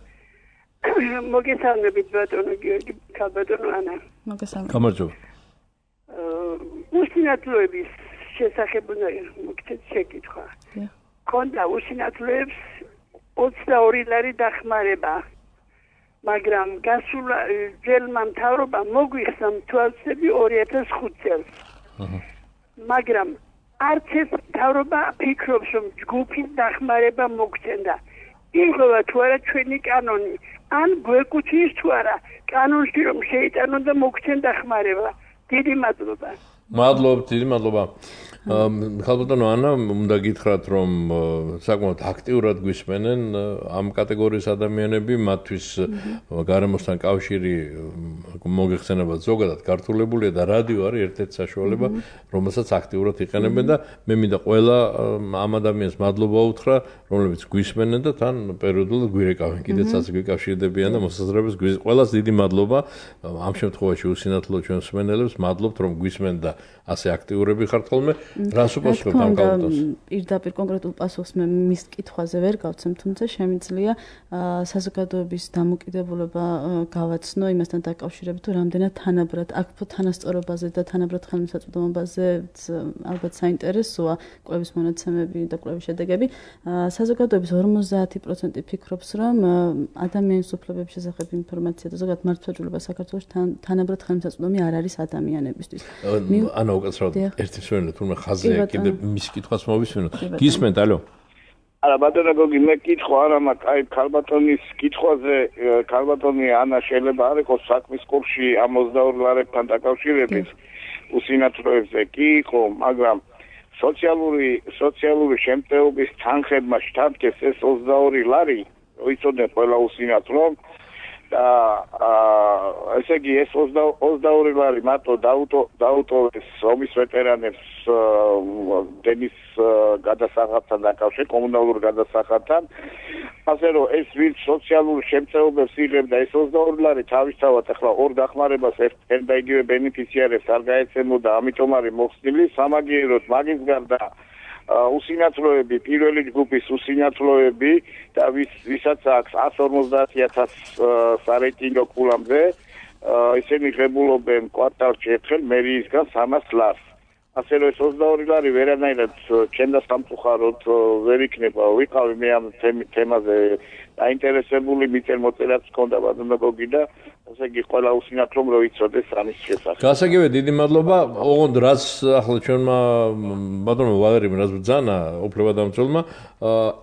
Speaker 2: მოგესალმებით ბატონო გიორგი, ქალბატონო ანა.
Speaker 3: მოგესალმებით.
Speaker 1: გამარჯობა.
Speaker 2: უსინათლოების შესახებ უნდა მოგცეთ შეკითხვა. ქონდა უსინათლოებს ოცდაორი ლარი დახმარება. მაგრამ გასულ ჯელმა მთავრობა მოგვიხსნა თვალსები ორი ათას ხუთი წელს. მაგრამ არც ეს მთავრობა ფიქრობს, რომ ჯგუფის დახმარება მოგცემდა. იღოვა თუ არა ჩვენი კანონი, ან გვეკუთვნის თუ არა კანონში რომ შეიტანონ და მოგცემ დახმარება. დიდი მადლობა.
Speaker 1: მადლობთ, დიდი მადლობა. ხალბატონო ანა, უნდა გითხრათ, რომ საკმაოდ აქტიურად გვისმენენ ამ კატეგორიის ადამიანები, მათთვის გარემოსთან კავშირი მოგეხსენება ზოგადად გართულებულია და რადიო არის ერთ-ერთი საშუალება, რომელსაც აქტიურად იყენებენ და მე მინდა ყველა ამ ადამიანს მადლობა უთხრა, რომლებიც გვისმენენ და თან პერიოდულად გვირეკავენ, კიდეც ასე გვიკავშირდებიან და მოსაზრებებს ყველას დიდი მადლობა. ამ შემთხვევაში უსინათლო ჩვენს მსმენელებს მადლობთ, რომ გვისმენ და ასე აქტიურები ხართ ხოლმე. რას უპასუხებთ ამ კალბატონს?
Speaker 3: პირდაპირ კონკრეტულ პასუხს მე მის კითხვაზე ვერ გავცემ, თუმცა შემიძლია საზოგადოების დამოკიდებულება გავაცნო იმასთან დაკავშირებით, თუ რამდენად თანაბრად აქ თანასწორობაზე და თანაბრად ხელმისაწვდომობაზე ალბათ საინტერესოა კვლევის მონაცემები და კვლევის შედეგები. საზოგადოების ორმოცდაათი პროცენტი ფიქრობს, რომ ადამიანის უფლებების შესახებ ინფორმაცია და ზოგადად მართლმსაჯულება საქართველოში თანაბრად ხელმისაწვდომი არ არის ადამიანებისთვის.
Speaker 1: ანა უკაცრავად ერთი მსმენელი თურმე ხაზია კიდე მის კითხვას მოვისმინოთ. გისმენთ, ალო?
Speaker 5: არა, ბატონო გოგი, მე კითხვა არა მაქვს, აი ქალბატონის კითხვაზე, ქალბატონი ანა შეიძლება არ იყოს საქმის კურსში ამ ოცდაორი ლარებთან დაკავშირებით უსინათლოებზე კი იყო, მაგრამ სოციალური სოციალური შემწეობის თანხებმა შთანთქეს ეს ოცდაორი ლარი, ვიცოდეთ ყველა უსინათლო და ესე იგი ეს ოცდაორი ლარი მარტო დაუტოვეს ომის ვეტერანებს დენის გადასახადთან დაკავშირებით, კომუნალურ გადასახადთან. ასე რომ ეს ვინც სოციალურ შემწეობებს იღებდა ეს ოცდაორი ლარი თავისთავად ახლა ორ დახმარებას ერთ და იგივე ბენეფიციარებს არ გაეცემოდა, ამიტომ არის მოხსნილი სამაგიეროდ მაგის გარდა უსინათლოები, პირველი ჯგუფის უსინათლოები და ვისაც აქვს εκατს ორმოცდაათი ათას სარეიტინგო კულამდე, ისინი ღებულობენ კვარტალში ერთხელ მერიისგან სამას ლარს. ასე რომ ეს ოცდაორი ლარი ვერანაირად ჩემ და სამწუხაროდ ვერ იქნება. ვიყავი მე ამ თემაზე დაინტერესებული, მიწერ მოწერაც ჰქონდა ბატონო გოგი და ასე იგი ყველა უსინათლომ რო იცოდეს ამის შესახებ.
Speaker 1: გასაგებია, დიდი მადლობა. ოღონდ რაც ახლა ჩვენმა ბატონო ვალერიმ რაც ბრძანა უფლებადამცველმა,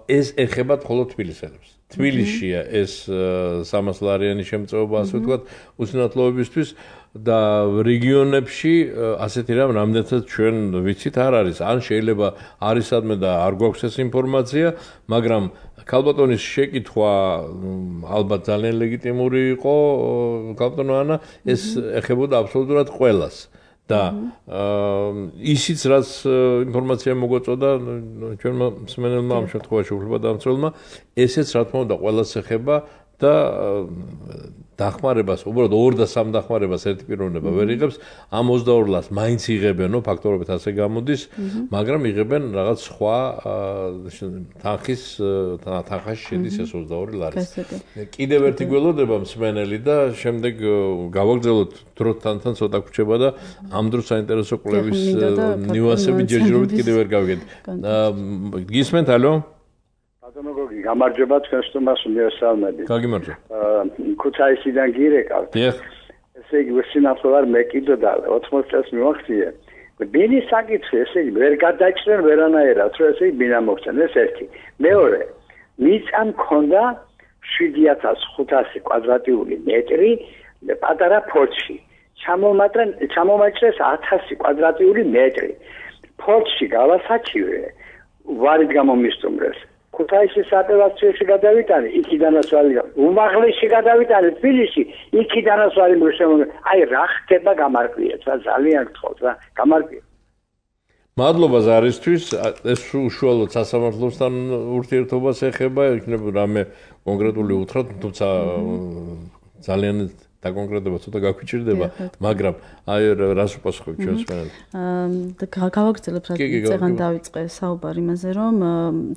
Speaker 1: ეს ეხება მხოლოდ თბილისელებს. თბილისშია ეს სამას ლარიანი შემწეობა, ასე ვთქვათ, უსინათლოებისთვის და რეგიონებში ასეთი რამ რამდენადაც ჩვენ ვიცით არ არის. ან შეიძლება არის სადმე და არ გვაქვს ეს ინფორმაცია, მაგრამ ქალბატონის შეკითხვა ალბათ ძალიან ლეგიტიმური იყო, ქალბატონო ანა, ეს ეხებოდა აბსოლუტურად ყველას. და ისიც რაც ინფორმაცია მოგვაწოდა ჩვენმა მსმენელმა ამ შემთხვევაში უფლებადამცველმა, ესეც რა თქმა უნდა ყველას ეხება და დახმარებას, უბრალოდ ორ და სამ დახმარებას ერთი პიროვნება ვერ იღებს, ამ ოცდაორ ლარს მაინც იღებენო, ფაქტორობით ასე გამოდის, მაგრამ იღებენ რაღაც სხვა თანხის თანხაში შედის ეს ოცდაორი ლარი. კიდევ ერთი გველოდება მსმენელი და შემდეგ გავაგრძელოთ დროთან თან ცოტა გვჭება და ამ დროს საინტერესო კვლევის ნიუანსები ჯერჯერობით კიდევ ვერ გავიგეთ. გისმენთ, ალო?
Speaker 6: ბატონო გოგი, გამარჯობა თქვენ სტუმარს მიესალმები.
Speaker 1: გაგიმარჯობა.
Speaker 6: ქუთაისიდან გირეკავთ.
Speaker 1: დიახ.
Speaker 6: ესე იგი უსინათლო არ მე კიდო და ოცდაოთხ წელს მივახციე. ბინის საკითხი, ესე იგი ვერ გადაჭრენ ვერანაირად, რომ ესე იგი ბინა მოხსენ, ეს ერთი. მეორე, მიწა მქონდა შვიდი ათას ხუთასი კვადრატული მეტრი პატარა ფორტში. ჩამომატრენ ჩამომაჭრეს ათასი კვადრატული მეტრი. ფორტში გავასაჩივე, ვარით გამომისტუმრეს. ქუთაისის აპელაციაში გადავიტანე, იქიდანაც ვარი უმაღლესში გადავიტანე თბილისში, იქიდანაც ვარი მოსემონე. აი რა ხდება გამარკვიეთ, რა ძალიან გთხოვთ რა, გამარკვიეთ.
Speaker 1: მადლობა ზარისთვის, ეს უშუალოდ სასამართლოსთან ურთიერთობას ეხება, იქნება რამე კონკრეტული უთხრათ, თუმცა ძალიან დაკონკრეტება ცოტა გაგვიჭირდება, მაგრამ აი რას უპასუხებ ჩვენს მენელს?
Speaker 3: აა გავაგრძელებ რა წეგან დავიწყე საუბარი იმაზე, რომ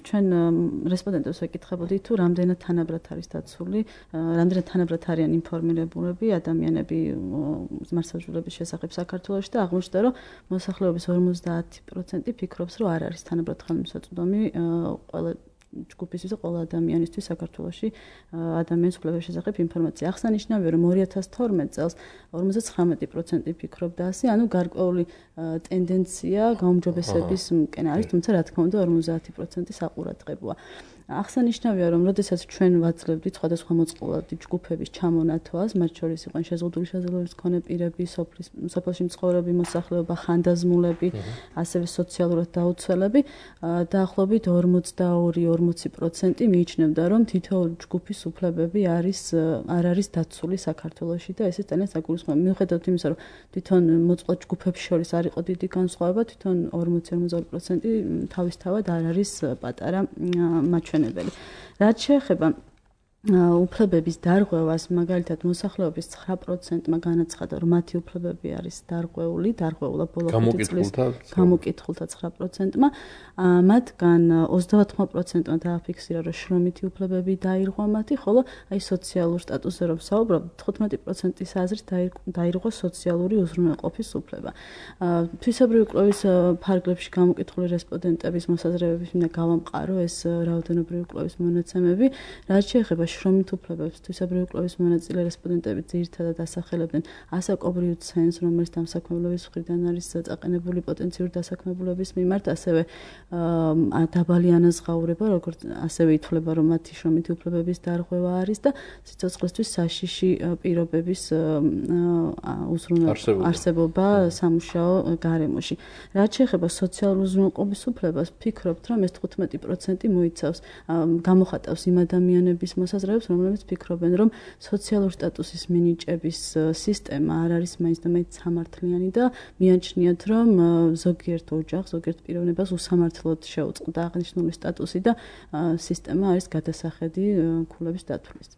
Speaker 3: ჩვენ რესპონდენტებს ვეკითხებოდით თუ რამდენად თანაბრად არის დაცული, რამდენად თანაბრად არიან ინფორმირებულები ადამიანები მართლმსაჯულების შესახებ საქართველოში და აღმოჩნდა, რომ მოსახლეობის ორმოცდაათი პროცენტი ფიქრობს, რომ არ არის თანაბრად ხელმისაწვდომი ყველა ჯგუფისთვის და ყველა ადამიანისთვის საქართველოში ადამიანის უფლებების შესახებ ინფორმაცია. აღსანიშნავია, რომ ორი ათას თორმეტ წელს ორმოცდაცხრამეტი პროცენტი ფიქრობდა ასე, ანუ გარკვეული ტენდენცია გაუმჯობესების მკენ არის, თუმცა რა თქმა უნდა ორმოცდაათი პროცენტი საყურადღებოა. აღსანიშნავია, რომ როდესაც ჩვენ ვაძლევდით სხვადასხვა მოწყვლადი ჯგუფების ჩამონათვას, მათ შორის იყვნენ შეზღუდული შესაძლებლობის მქონე პირები, სოფელში მცხოვრები მოსახლეობა, ხანდაზმულები, ასევე სოციალურად დაუცველები, დაახლოებით ორმოცდაორი ორმოცი პროცენტი მიიჩნევდა, რომ თითოეული ჯგუფის უფლებები არის არ არის დაცული საქართველოში და ეს ძალიან საგულისხმოა. მიუხედავად იმისა, რომ თვითონ მოწყვლად ჯგუფებს შორის არ იყო დიდი განსხვავება, თვითონ ორმოცი ორმოცდაორი პროცენტი თავისთავად არ არის პატარა მაჩვენებელი. რაც შეეხება უფლებების დარღვევას, მაგალითად მოსახლეობის ცხრა პროცენტმა განაცხადა, რომ მათი უფლებები არის დარღვეული, დარღვეულა ბოლო ხუთი წლის გამოკითხულთა ცხრა პროცენტმა, მათგან ოცდაოთხ პროცენტმა დააფიქსირა, რომ შრომითი უფლებები დაირღვა მათი, ხოლო აი სოციალურ სტატუსზე რომ საუბრობ, თხუთმეტი პროცენტის აზრით დაირღვა სოციალური უზრუნველყოფის უფლება. თვისებრივი კვლევის ფარგლებში გამოკითხული რესპონდენტების მოსაზრებების მინდა გავამყარო ეს რაოდენობრივი კვლევის მონაცემები, რაც შეეხება შრომით უფლებებს, თვისებრივი კვლევის მონაწილე რესპონდენტები ძირითადად ასახელებდნენ ასაკობრივ ცენს, რომელიც დამსაქმებლების მხრიდან არის წაყენებული პოტენციური დასაქმებულების მიმართ, ასევე დაბალი ანაზღაურება, როგორც ასევე ითვლება, რომ მათი შრომითი უფლებების დარღვევა არის და სიცოცხლისთვის საშიში პირობების არსებობა სამუშაო გარემოში. რაც შეეხება სოციალურ უზრუნველყოფის უფლებას, ვფიქრობთ, რომ ეს თხუთმეტი პროცენტი მოიცავს, გამოხატავს იმ ადამიანების მოსაზრებებს, რომლებიც ფიქრობენ, რომ სოციალურ სტატუსის მინიჭების სისტემა არ არის მაინც და მაინც სამართლიანი და მიანჩნიათ, რომ ზოგიერთ ოჯახს, ზოგიერთ პიროვნებას უსამართლოდ შეუწყდა აღნიშნული სტატუსი და სისტემა არის გადასახედი ქულების დათვლის.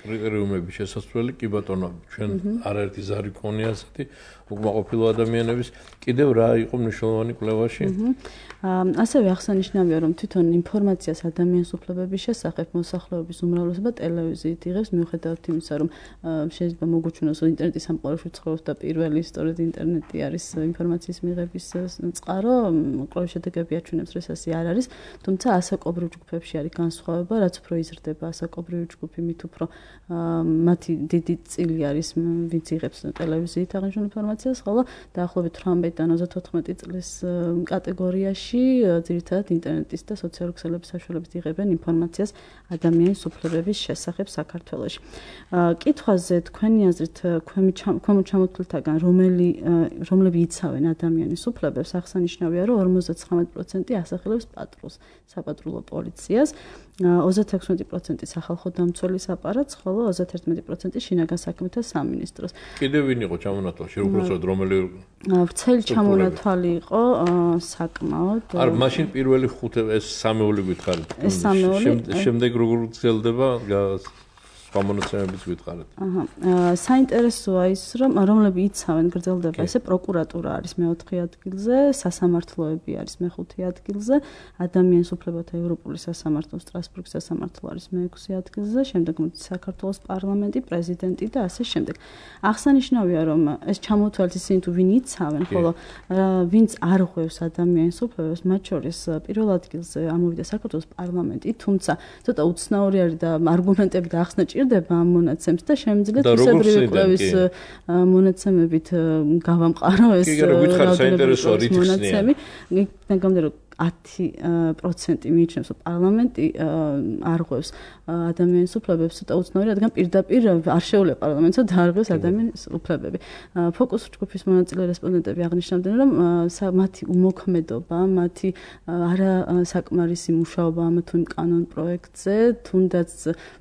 Speaker 1: კრიტერიუმების შესასწავლელი კი ბატონო, ჩვენ არაერთი ზარი გქონია ასეთი უკმაყოფილო ადამიანების, კიდევ რა იყო მნიშვნელოვანი კვლევაში?
Speaker 3: ასევე აღსანიშნავია, რომ თვითონ ინფორმაციას ადამიანის უფლებების შესახებ მოსახლეობის უმრავლესობა ტელევიზიით იღებს, მიუხედავად იმისა, რომ შეიძლება მოგუჩვენოს, რომ ინტერნეტის სამყაროში ცხოვრობს და პირველი სწორედ ინტერნეტი არის ინფორმაციის მიღების წყარო, კვლევის შედეგები აჩვენებს, რომ ეს ასე არ არის, თუმცა ასაკობრივ ჯგუფებში არის განსხვავება, რაც უფრო იზრდება ასაკობრივი ჯგუფი, მით უფრო მათი დიდი წილი არის, ვინც იღებს ტელევიზიით აღნიშნულ ინფორმაციას, ხოლო დაახლოებით თვრამეტიდან ოცდათოთხმეტი წლის კატეგორიაში ძირითადად ინტერნეტის და სოციალური ქსელების საშუალებით იღებენ ინფორმაციას ადამიანის უფლებების შესახებ საქართველოში. კითხვაზე თქვენი აზრით, ქვემოთ ჩამოთვლილთაგან რომელი რომლები იცავენ ადამიანის უფლებებს, აღსანიშნავია, რომ ორმოცდაცხრამეტი პროცენტი ასახელებს პატრულს, საპატრულო პოლიციას, ოცდაექვსმეტი პროცენტი სახალხო დამცველის აპარატს, ხოლო ოცდაათერთმეტი პროცენტი შინაგან საქმეთა სამინისტროს.
Speaker 1: კიდევ ვინ იყო ჩამონათვალში, უბრალოდ რომელი
Speaker 3: ვრცელი ჩამონათვალი იყო საკმაოდ.
Speaker 1: არ მაშინ პირველი ხუთი ეს სამეული გითხარით.
Speaker 3: ეს სამეული.
Speaker 1: შემდეგ როგორ გრძელდება სხვა მონაცემებიც გითხარით.
Speaker 3: აჰა. საინტერესოა ის, რომ რომლები იცავენ გრძელდება, ესე პროკურატურა არის მეოთხე ადგილზე, სასამართლოები არის მეხუთე ადგილზე, ადამიანის უფლებათა ევროპული სასამართლო, სტრასბურგის სასამართლო არის მეექვსე ადგილზე, შემდეგ საქართველოს პარლამენტი, პრეზიდენტი და ასე შემდეგ. აღსანიშნავია, რომ ეს ჩამოთვალეთ ისინი თუ ვინ იცავენ, ხოლო ვინც არ ღვევს ადამიანის უფლებებს, მათ შორის პირველ ადგილზე ამოვიდა საქართველოს პარლამენტი, თუმცა ცოტა უცნაური არის და არგუმენტები და ახსნა ჭირდება ამ მონაცემს და შემიძლია თვისებრივი კვლევის მონაცემებით გავამყარო ეს მონაცემი. ნაგამდე რომ ათი პროცენტი მიიჩნევს, რომ პარლამენტი არ ღვევს ადამიანის უფლებებს, ცოტა უცნაური, რადგან პირდაპირ არ შეუძლია პარლამენტს დაარღვევს ადამიანის უფლებები. ფოკუს ჯგუფის მონაწილე რესპონდენტები აღნიშნავდნენ, რომ მათი უმოქმედობა, მათი არა საკმარისი მუშაობა ამ თუ იმ კანონ პროექტზე, თუნდაც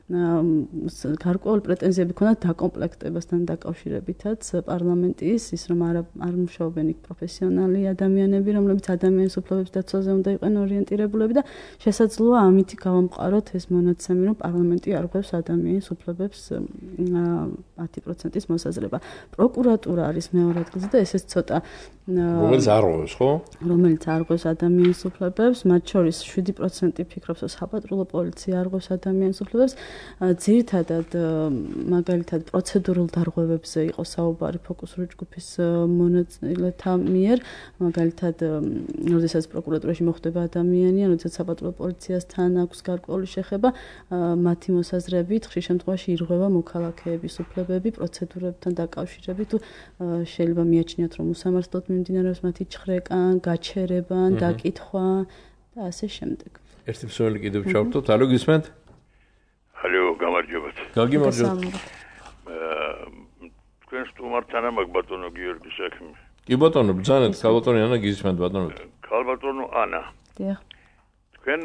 Speaker 3: გარკვეული პრეტენზიები ქონდათ დაკომპლექტებასთან დაკავშირებითაც პარლამენტის, ის რომ არ არ მუშაობენ იქ პროფესიონალი ადამიანები, რომლებიც ადამიანის უფლებების დაცვაზე თემაზე უნდა იყვნენ ორიენტირებულები და შესაძლოა ამით გავამყაროთ ეს მონაცემი, რომ პარლამენტი არ ღვევს ადამიანის უფლებებს ათი პროცენტის მოსაზრება. პროკურატურა არის მეორე ადგილზე და ესეც ცოტა
Speaker 1: რომელიც არ ღვევს, ხო?
Speaker 3: რომელიც არ ღვევს ადამიანის უფლებებს, მათ შორის შვიდი პროცენტი ფიქრობს, რომ საპატრულო პოლიცია არ ღვევს ადამიანის უფლებებს. ძირითადად მაგალითად პროცედურულ დარღვევებზე იყო საუბარი ფოკუსური ჯგუფის მონაწილეთა მიერ, მაგალითად, როდესაც პროკურატურაში მოხვდება ადამიანი, როდესაც საპატრულო პოლიციასთან აქვს გარკვეული შეხება, მათი მოსაზრებით ხშირ შემთხვევაში ირღვევა მოქალაქეების უფლებები პროცედურებთან დაკავშირებით, თუ შეიძლება მიაჩნიათ, რომ უსამართლოდ მიმდინარეობს მათი ჩხრეკა, გაჩერება, დაკითხვა და ასე შემდეგ.
Speaker 1: ერთი მსმენელი კიდევ ჩავთოთ, ალო გისმენთ?
Speaker 7: ალო, გამარჯობათ.
Speaker 1: გაგიმარჯობათ.
Speaker 7: თქვენ სტუმართან ამაკ ბატონო გიორგი საქმე.
Speaker 1: კი ბატონო, ბრძანეთ, ქალბატონი ანა გისმენთ ბატონო.
Speaker 7: ქალბატონო ანა.
Speaker 3: დიახ.
Speaker 7: თქვენ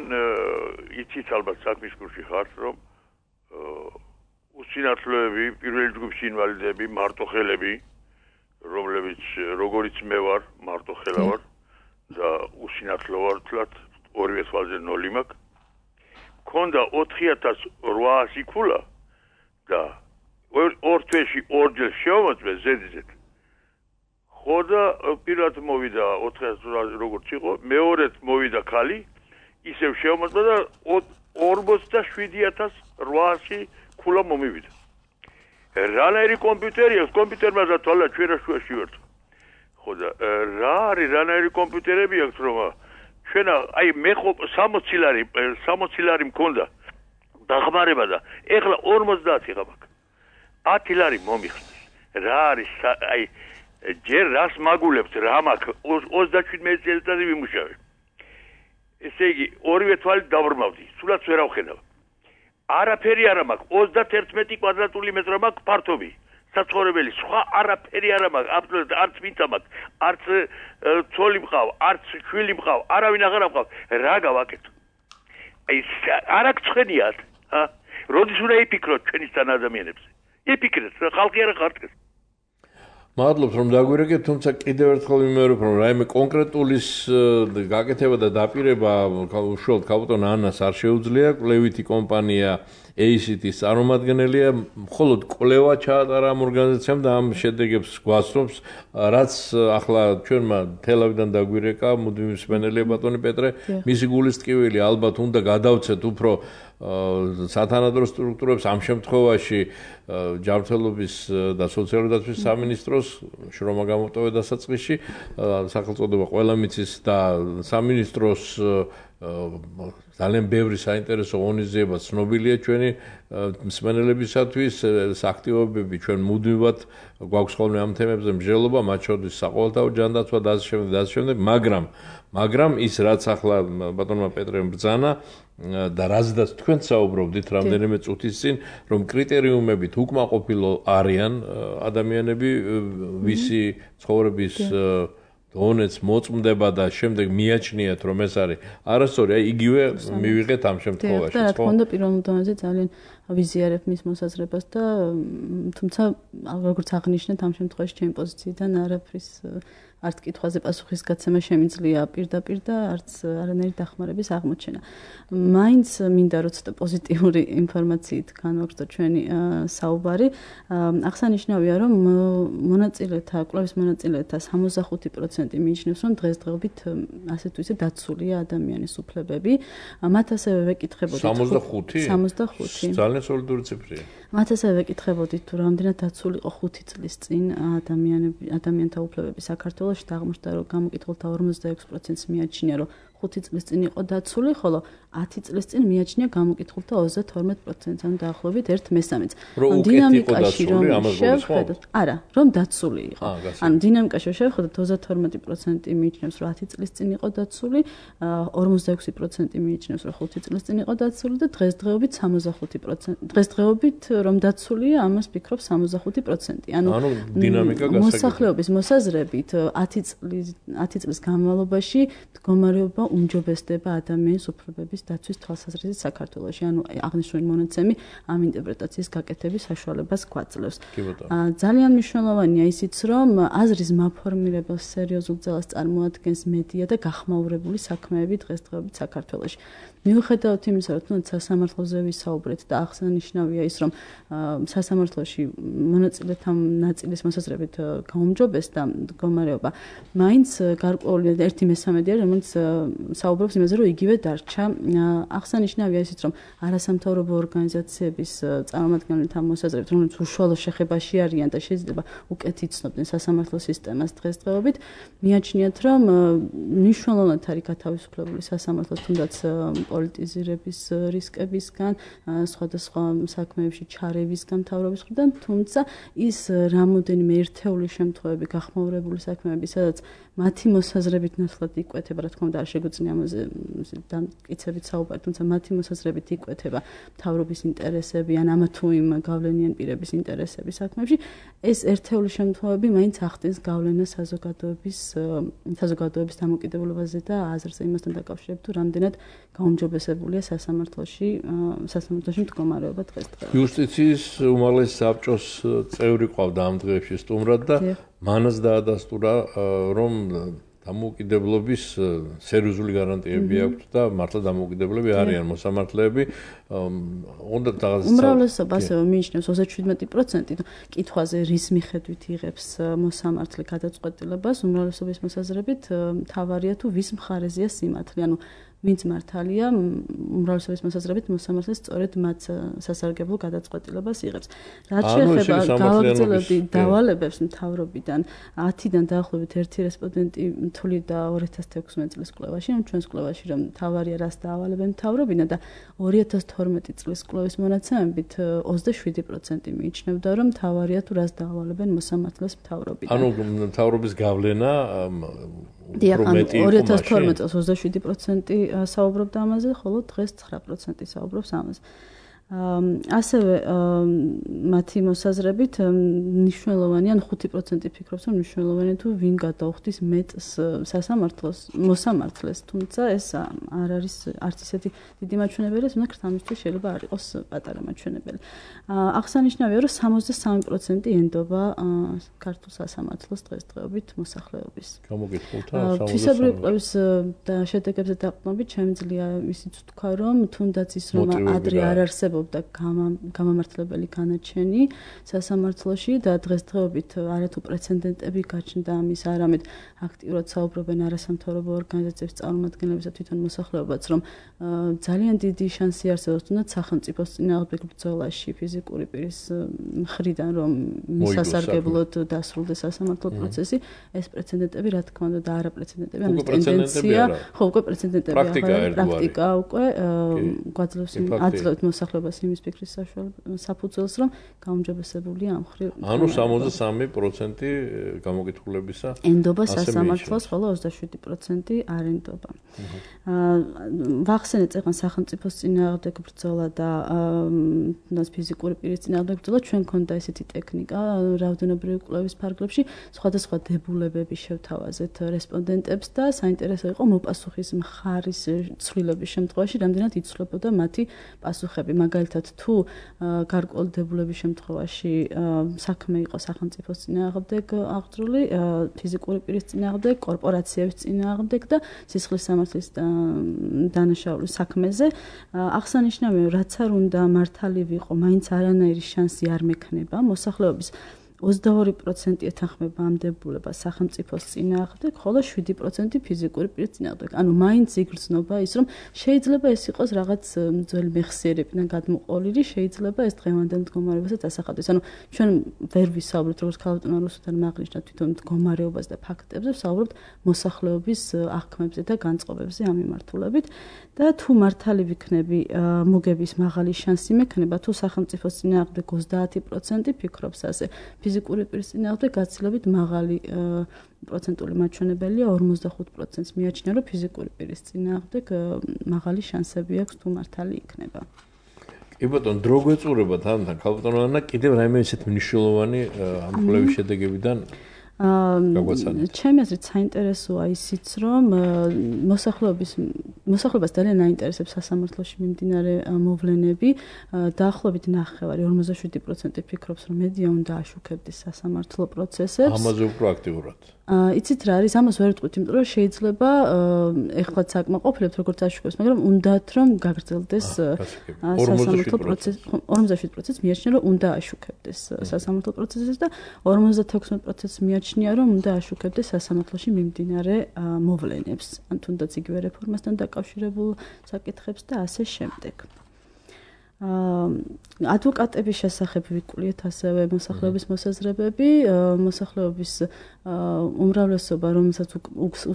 Speaker 7: იცით ალბათ საქმის კურსში ხართ, რომ უსინათლოები, პირველი ჯგუფის ინვალიდები, მარტოხელები, რომლებიც როგორიც მე ვარ, მარტოხელა ვარ და უსინათლო ვარ თლათ, ორივე თვალზე ნოლი მაქვს. მქონდა ოთხი ათას რვაასი ქულა და ორ თვეში ორჯერ შევამოწმე ზედიზედ. ხო და პირად მოვიდა ოთხი ათას როგორც იყო, მეორედ მოვიდა ქალი, ისევ შევამოწმე და ორმოცდაშვიდი ათას რვაასი ქულა მომივიდა. რანაირი კომპიუტერი აქვს, კომპიუტერმა და თვალა ჩვენაშუაში ვერთო. ხო და რა არის რანაირი კომპიუტერები აქვს, რომ ჩვენ აი მე ხო სამოცი ლარი სამოცი ლარი მქონდა დახმარება და ეხლა ორმოცდაათი ღამაკ. ათი ლარი მომიხსნეს. რა არის აი ჯერ რას მაგულებთ რა მაქვს ოცდაშვიდმეტი წელიწადი ვიმუშავე. ესე იგი ორივე თვალი დავრმავდი, სულაც ვერ ავხედავ. არაფერი არ მაქვს, ოცდაერთმეტი კვადრატული მეტრი მაქვს ფართობი. საცხოვრებელი, სხვა არაფერი არ მაქვს, აბსოლუტურად არც მიწა მაქვს, არც ცოლი მყავ, არც შვილი მყავ, არავინ აღარ მყავ. რა გავაკეთო? აი არ აქვს ცხენიათ, ჰა? როდის უნდა იფიქროთ ჩვენისთან ადამიანებზე? იფიქრეთ, ხალხი არ ხართ.
Speaker 1: მადლობთ რომ დაგვირეკეთ, თუმცა კიდევ ერთხელ ვიმეორებ, რომ რაიმე კონკრეტულის გაკეთება და დაპირება უშუალოდ ქალბატონ ანას არ შეუძლია, კვლევითი კომპანია ეი სი ტი-ის წარმომადგენელია, მხოლოდ კვლევა ჩაატარა ამ ორგანიზაციამ და ამ შედეგებს გვასწრობს, რაც ახლა ჩვენმა თელავიდან დაგვირეკა, მუდმივი მსმენელია ბატონი პეტრე, მისი გულის ტკივილი ალბათ უნდა გადავცეთ უფრო სათანადო სტრუქტურებს, ამ შემთხვევაში ჯანმრთელობის და სოციალური დაცვის სამინისტროს შრომა გამოტოვე დასაწყისში, სახელწოდება ყველა მიცის და სამინისტროს ძალიან ბევრი საინტერესო ღონისძიება ცნობილია ჩვენი მსმენელებისათვის, აქტივობები ჩვენ მუდმივად გვაქვს ხოლმე ამ თემებზე მსჯელობა, მათ შორის საყოველთაო ჯანდაცვა და ასე შემდეგ და ასე შემდეგ, მაგრამ მაგრამ ის რაც ახლა ბატონმა პეტრემ ბრძანა და რაზედაც თქვენ საუბრობდით რამდენიმე წუთის წინ, რომ კრიტერიუმებით უკმაყოფილო არიან ადამიანები, ვისი ცხოვრების დონეც მოწმდება და შემდეგ მიაჩნიათ რომ ეს არის არასწორი, აი იგივე მივიღეთ ამ შემთხვევაში,
Speaker 3: ხო? და რა თქმა უნდა პირველ დონეზე ძალიან ვიზიარებ მის მოსაზრებას და თუმცა როგორც აღნიშნეთ ამ შემთხვევაში ჩემი პოზიციიდან არაფრის არც კითხვაზე პასუხისგაცემა შემიძლია პირდაპირ და არც არანაირი დახმარების აღმოჩენა. მაინც მინდა რომ ცოტა პოზიტიური ინფორმაციით განვაგრძო ჩვენი საუბარი. აღსანიშნავია რომ მონაწილეთა, კვლევის მონაწილეთა სამოცდახუთი პროცენტი მიიჩნევს რომ დღესდღეობით ასე თუ ისე დაცულია ადამიანის უფლებები. მათ ასევე ვეკითხებოდით
Speaker 1: სამოცდახუთი?
Speaker 3: სამოცდახუთი.
Speaker 1: ძალიან სოლიდური ციფრია.
Speaker 3: მათ ასევე ვეკითხებოდით თუ რამდენად დაცული იყო ხუთი წლის წინ ადამიანები ადამიანთა უფლებები საქართველოში და აღმოჩნდა რომ გამოკითხულთა ორმოცდაექვსი პროცენტს მიაჩნია რომ ხუთი წლის წინ იყო დაცული, ხოლო ათი წლის წინ მიაჩნია გამოკითხულთა ოცდათორმეტი პროცენტს, ანუ დაახლოებით ერთ მესამედს.
Speaker 1: ანუ დინამიკაში რომ
Speaker 3: შევხედოთ, არა, რომ დაცული იყო. ანუ დინამიკაში შევხედოთ ოცდათორმეტი პროცენტი მიიჩნევს რომ ათი წლის წინ იყო დაცული, ორმოცდაექვსი პროცენტი მიიჩნევს რომ ხუთი წლის წინ იყო დაცული და დღესდღეობით სამოცდახუთი პროცენტი. დღესდღეობით რომ დაცულია, ამას ფიქრობ სამოცდახუთი პროცენტი.
Speaker 1: ანუ დინამიკა გასაგებია.
Speaker 3: მოსახლეობის მოსაზრებით ათი წლის ათი წლის განმავლობაში მდგომარეობა უმჯობესდება ადამიანის უფლებების დაცვის თვალსაზრისით საქართველოში. ანუ აღნიშნული მონაცემი ამ ინტერპრეტაციის გაკეთების საშუალებას გვაძლევს. ძალიან მნიშვნელოვანია ისიც, რომ აზრის მაფორმირებელს სერიოზულ ძალას წარმოადგენს მედია და გახმაურებული საქმეები დღესდღეობით საქართველოში. მიუხედავად იმისა, რომ თუნდაც სასამართლოზე ვისაუბრეთ და აღსანიშნავია ის, რომ სასამართლოში მონაწილეთა ნაწილის მოსაზრებით გაუმჯობესდა მდგომარეობა, მაინც გარკვეული ერთი მესამედი არის, რომელიც საუბრობს იმაზე, რომ იგივე დარჩა. აღსანიშნავია ისიც, რომ არასამთავრობო ორგანიზაციების წარმომადგენელთა მოსაზრებით, რომლებიც უშუალო შეხებაში არიან და შეიძლება უკეთ იცნობდნენ სასამართლო სისტემას დღესდღეობით, მიაჩნიათ, რომ მნიშვნელოვნად არის გათავისუფლებული სასამართლოს თუნდაც პოლიტიზირების რისკებისგან, სხვადასხვა საქმეებში ჩარევისგან მთავრობის მხრიდან, თუმცა ის რამოდენიმე ერთეული შემთხვევები გახმაურებული საქმეები, სადაც მათი მოსაზრებით ნაცვლად იკვეთება, რა თქმა უნდა, არ შეგვიძლია ამაზე დამტკიცებით საუბარი, თუმცა მათი მოსაზრებით იკვეთება მთავრობის ინტერესები ან ამა თუ იმ გავლენიან პირების ინტერესები საქმეებში, ეს ერთეული შემთხვევები მაინც ახდენს გავლენას საზოგადოების საზოგადოების დამოკიდებულებაზე და აზრზე იმასთან დაკავშირებით, თუ რამდენად გაუმჯობესებულია სასამართლოში სასამართლოში მდგომარეობა დღესდღეობით.
Speaker 1: იუსტიციის უმაღლესი საბჭოს წევრი ყავდა ამ დღეებში სტუმრად და მანაც დაადასტურა, რომ დამოუკიდებლობის სერიოზული გარანტიები აქვს და მართლა დამოუკიდებლები არიან მოსამართლეები. უნდა რაღაცა
Speaker 3: უმრავლესობა ასევე მიიჩნევს ოცდაშვიდმეტი პროცენტი კითხვაზე რის მიხედვით იღებს მოსამართლე გადაწყვეტილებას, უმრავლესობის მოსაზრებით მთავარია თუ ვის მხარეზეა სიმართლე, ანუ ვინც მართალია, უმრავლესობის მოსაზრებით მოსამართლე სწორედ მათ სასარგებლო გადაწყვეტილებას იღებს. რაც შეეხება გავაგრძელებდი დავალებებს მთავრობიდან, ათიდან დაახლოებით ერთი რესპონდენტი თვლიდა ორი ათას თექვსმეტი წლის კვლევაში, ან ჩვენს კვლევაში, რომ მთავარია რას დაავალებენ მთავრობიდან და ორი ათას თორმეტი წლის კვლევის მონაცემებით ოცდაშვიდი პროცენტი მიიჩნევდა, რომ მთავარია თუ რას დაავალებენ მოსამართლეს მთავრობიდან.
Speaker 1: ანუ მთავრობის გავლენა
Speaker 3: დიახ, ორი ათას თორმეტი წელს ოცდაშვიდი პროცენტი საუბრობდა ამაზე, ხოლო დღეს ცხრა პროცენტი საუბრობს ამაზე. ასევე მათი მოსაზრებით მნიშვნელოვანია, ან ხუთი პროცენტი ფიქრობს, რომ მნიშვნელოვანია თუ ვინ გადაუხდის მეტს სასამართლოს მოსამართლეს, თუმცა ეს არ არის არც ისეთი დიდი მაჩვენებელი, თუმცა ამისთვის შეიძლება არ იყოს პატარა მაჩვენებელი. აღსანიშნავია, რომ სამოცდასამი პროცენტი ენდობა ქართულ სასამართლოს დღესდღეობით მოსახლეობის.
Speaker 1: გამოგითხულთა
Speaker 3: თვისებრივი კვლევის შედეგებზე დაყრდნობით შემიძლია ისიც ვთქვა, რომ თუნდაც ის რომ ადრე არ არსებობდა და გამამართლებელი განაჩენი სასამართლოში და დღესდღეობით არათუ პრეცედენტები გაჩნდა ამის, არამედ აქტიურად საუბრობენ არასამთავრობო ორგანიზაციების წარმომადგენლებისა თვითონ მოსახლეობაც, რომ ძალიან დიდი შანსი არსებობს თუნდაც სახელმწიფოს წინააღმდეგ ბრძოლაში ფიზიკური პირის მხრიდან, რომ მის სასარგებლოდ დასრულდეს სასამართლო პროცესი, ეს პრეცედენტები რა თქმა უნდა და არაპრეცედენტები, ანუ ტენდენცია, ხო, უკვე პრეცედენტები პრაქტიკა უკვე გვაძლევს აძლევთ მოსახლეობას იმის ფიქრის საფუძველს, რომ გაუმჯობესებულია ამ მხრივ.
Speaker 1: ანუ სამოცდასამი პროცენტი გამოკითხულებისა
Speaker 3: ენდობა სასამართლოს, ხოლო ოცდაშვიდი პროცენტი არ ენდობა. ვახსენეთ წეგან სახელმწიფოს წინააღმდეგ ბრძოლა და ფიზიკური პირის წინააღმდეგ ბრძოლა, ჩვენ ქონდა ესეთი ტექნიკა რაოდენობრივი კვლევის ფარგლებში, სხვადასხვა დებულებები შევთავაზეთ რესპონდენტებს და საინტერესო იყო მოპასუხის მხარის ცვლილების შემთხვევაში, რამდენად იცვლებოდა მათი პასუხები. მაგალითად, თუ გარკვეული დებულების შემთხვევაში საქმე იყო სახელმწიფოს წინააღმდეგ აღძრული, ფიზიკური პირის წინააღმდეგ, კორპორაციების წინააღმდეგ და სისხლის სამართლის დანაშაულის საქმეზე, აღსანიშნავია, რაც არ უნდა მართალი ვიყო, მაინც არანაირი შანსი არ მექნება მოსახლეობის ოცდაორი პროცენტი ეთანხმება ამ დებულებას სახელმწიფოს წინააღმდეგ, ხოლო შვიდი პროცენტი ფიზიკური პირის წინააღმდეგ. ანუ მაინც იგრძნობა ის, რომ შეიძლება ეს იყოს რაღაც ძველი მეხსიერებიდან გადმოყოლილი, შეიძლება ეს დღევანდელ მდგომარეობასაც ასახავდეს. ანუ ჩვენ ვერ ვისაუბრებთ როგორც ქალბატონმა რუსუდანმა აღნიშნა თვითონ მდგომარეობას და ფაქტებზე, ვსაუბრობთ მოსახლეობის აღქმებზე და განწყობებზე ამ მიმართულებით და თუ მართალი ვიქნები, მოგების მაღალი შანსი მექნება, თუ სახელმწიფოს წინააღმდეგ ოცდაათი პროცენტი ფიქრობს ასე. ფიზიკური პირის წინააღმდეგ გაცილებით მაღალი პროცენტული მაჩვენებელია, ორმოცდახუთ პროცენტს მიაჩნია, რომ ფიზიკური პირის წინააღმდეგ მაღალი შანსები აქვს თუ მართალი იქნება.
Speaker 1: კი ბატონო, დრო გვეწურება თან ქალბატონო ანა, კიდევ რაიმე ისეთ მნიშვნელოვანი ამ კვლევის შედეგებიდან
Speaker 3: ჩემი აზრით საინტერესოა ისიც, რომ მოსახლეობის მოსახლეობას ძალიან აინტერესებს სასამართლოში მიმდინარე მოვლენები. დაახლოებით ნახევარი ორმოცდაშვიდი პროცენტი ფიქრობს, რომ მედია უნდა აშუქებდეს სასამართლო პროცესებს.
Speaker 1: ამაზე უფრო აქტიურად.
Speaker 3: იცით რა არის, ამას ვერ ვიტყვით, იმიტომ რომ შეიძლება ეხლაც საკმაყოფილებთ როგორც აშუქებს, მაგრამ უნდათ რომ გაგრძელდეს სასამართლო პროცესი. ორმოცდაშვიდი პროცენტი მიაჩნია, რომ უნდა აშუქებდეს სასამართლო პროცესებს და ორმოცდათექვსმეტი პროცენტი მიაჩნია, რომ უნდა აშუქებდეს სასამართლოში მიმდინარე მოვლენებს, ან თუნდაც იგივე რეფორმასთან დაკავშირებულ საკითხებს და ასე შემდეგ. ადვოკატების შესახებ ვიკულიეთ ასევე მოსახლეობის მოსაზრებები, მოსახლეობის უმრავლესობა, რომელსაც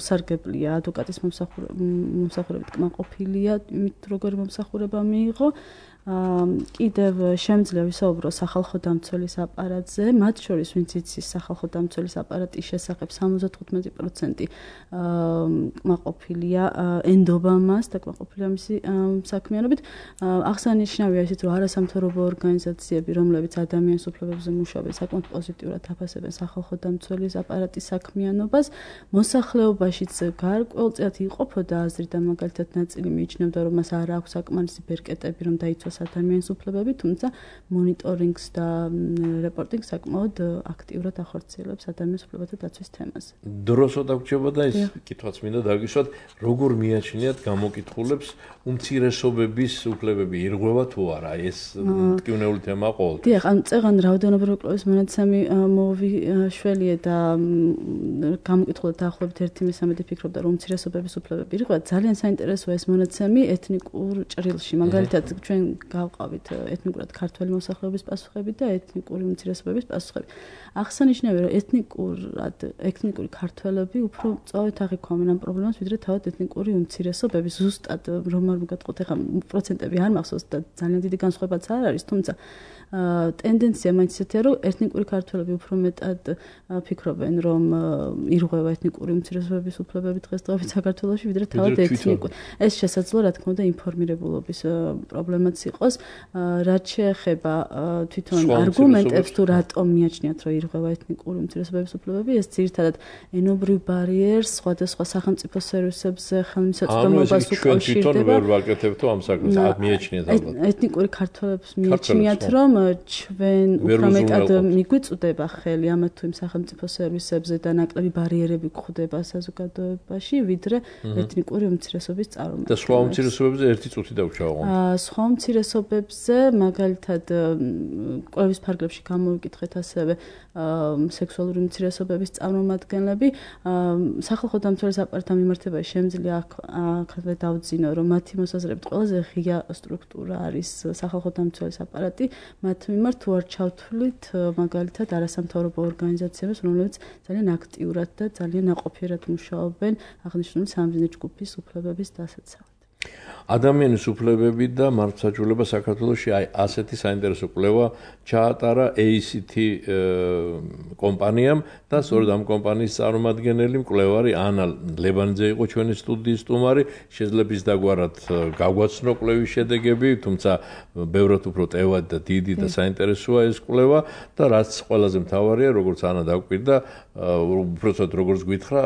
Speaker 3: უსარგებლია ადვოკატის მომსახურებით კმაყოფილია, იმით როგორი მომსახურება მიიღო. კიდევ შემიძლია ვისაუბრო სახალხო დამცველის აპარატზე, მათ შორის ვინც იცის სახალხო დამცველის აპარატის შესახებ სამოცდათხუთმეტი პროცენტი კმაყოფილია, ენდობა მას და კმაყოფილია მისი საქმიანობით. აღსანიშნავია ისიც, რომ არასამთავრობო ორგანიზაციები, რომლებიც ადამიანის უფლებებზე მუშაობენ, საკმაოდ პოზიტიურად აფასებენ სახალხო დამცველის აპარატის საქმიანობას. მოსახლეობაშიც გარკვეულწილად იყოფოდა აზრი და მაგალითად ნაწილი მიიჩნევდა, რომ მას არ აქვს საკმარისი ბერკეტები, რომ დაიცვას ადამიანის უფლებები, თუმცა მონიტორინგს და რეპორტინგს საკმაოდ აქტიურად ახორციელებს ადამიანის უფლებათა დაცვის თემაზე.
Speaker 1: დროსო დაგვრჩება და ის კითხვაც მინდა დაგისვათ, როგორ მიაჩნიათ გამოკითხულებს უმცირესობების უფლებები ირღვევა თუ არა, ეს მტკივნეული თემა ყოველთვის.
Speaker 3: დიახ, ან წეღან რაოდენობრივი კვლევის მონაცემი მოვიშველიე და გამოკითხულებ დაახლოებით ერთი მესამედი ფიქრობდა, რომ უმცირესობების უფლებები ირღვევა. ძალიან საინტერესოა ეს მონაცემი ეთნიკურ ჭრილში, მაგალითად ჩვენ გავყავით ეთნიკურად ქართველი მოსახლეობის პასუხები და ეთნიკური უმცირესობების პასუხები. აღსანიშნავია, რომ ეთნიკურად ეთნიკური ქართველები უფრო სწორედ აღიქვამენ ამ პრობლემას, ვიდრე თავად ეთნიკური უმცირესობები. ზუსტად რომ არ მოგატყოთ, ეხლა პროცენტები არ მახსოვს და ძალიან დიდი განსხვავებაც არ არის, თუმცა ტენდენცია მაინც ისეთია, რომ ეთნიკური ქართველები უფრო მეტად ფიქრობენ, რომ ირღვევა ეთნიკური უმცირესობების უფლებები დღესდღეობით საქართველოში, ვიდრე თავად ეთნიკური. ეს შესაძლოა, რა თქმა უნდა, ინფორმირებულობის პრობლემაც იყოს. რაც შეეხება თვითონ არგუმენტებს, თუ რატომ მიაჩნიათ, რომ ირღვევა ეთნიკური უმცირესობების უფლებები, ეს ძირითადად ენობრივ ბარიერს სხვადასხვა სახელმწიფო სერვისებზე ხელმისაწვდომობას უკავშირდება.
Speaker 1: ვერ ვაკეთებთ ამ საქმეს, აქ მიაჩნიათ ალბათ.
Speaker 3: ეთნიკური ქართველებს მიაჩნიათ, რომ ჩვენ უფრო მეტად მიგვიწვდება ხელი ამათ თუ იმ სახელმწიფო სერვისებზე და ნაკლები ბარიერები გვხვდება საზოგადოებაში, ვიდრე ეთნიკური უმცირესობის წარმომადგენლებს.
Speaker 1: და სხვა უმცირესობებზე ერთი წუთი დავჩავო.
Speaker 3: სხვა უმცირესობებზე, მაგალითად, კვლევის ფარგლებში გამოვიკითხეთ ასევე სექსუალური უმცირესობების წარმომადგენლები. სახალხო დამცველის აპარატთან მიმართებაში შემიძლია აქ დავძინო, რომ მათი მოსაზრებით ყველაზე ღია სტრუქტურა არის სახალხო დამცველის აპარატი. მათ მიმართ თუ არ ჩავთვლით მაგალითად არასამთავრობო ორგანიზაციებს, რომლებიც ძალიან აქტიურად და ძალიან ნაყოფიერად მუშაობენ აღნიშნული სამიზნე ჯგუფის უფლებების დასაცავად.
Speaker 1: ადამიანის უფლებები და მართლმსაჯულება საქართველოში აი ასეთი საინტერესო კვლევა ჩაატარა έი სი თი კომპანიამ და სწორედ ამ კომპანიის წარმომადგენელი მკვლევარი ანა ლებანიძე იყო ჩვენი სტუდიის სტუმარი. შეიძლება ის დაგვარად გაგვაცნო კვლევის შედეგები, თუმცა ბევრად უფრო ტევად და დიდი და საინტერესოა ეს კვლევა და რაც ყველაზე მთავარია, როგორც ანა დაგვირდა, უბრალოდ როგორც გითხრა,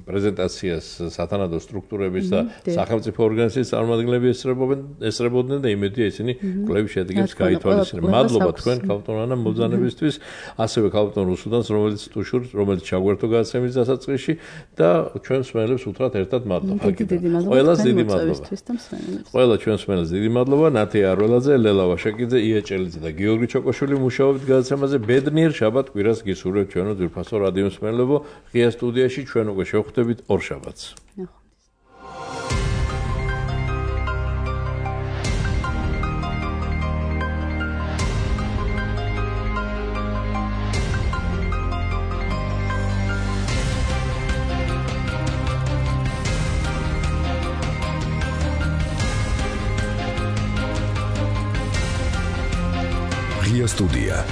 Speaker 1: პრეზენტაციას სათანადო სტრუქტურების და სახელმწიფო ორგანიზაციის წარმომადგენლები ესწრებოდნენ, ესწრებოდნენ და იმედია ისინი კვლევის შედეგებს გაითვალისწინებენ. მადლობა თქვენ ქალბატონ ანა მობრძანებისთვის, ასევე ქალბატონ რუსუდანს, რომელიც ტუშურს, რომელიც ჩაგვერთო გადაცემის დასაწყისში და ჩვენ მსმენელებს უთხრათ ერთად მადლობა. ყველას დიდი მადლობა. ყველა ჩვენ მსმენელს დიდი მადლობა. ნათია არველაძე, ლელა ვაშაკიძე, ია ჭელიძე და გიორგი ჩოკოშვილი მუშაობთ გადაცემაზე. ბედნიერ შაბათ კვირას გისურვებთ ჩვენო ძვირფასო რადიო მსმენელებო. ღია სტუდიაში ჩვენ უკვე შევხვდებით ორ შაბათს.
Speaker 8: Студия.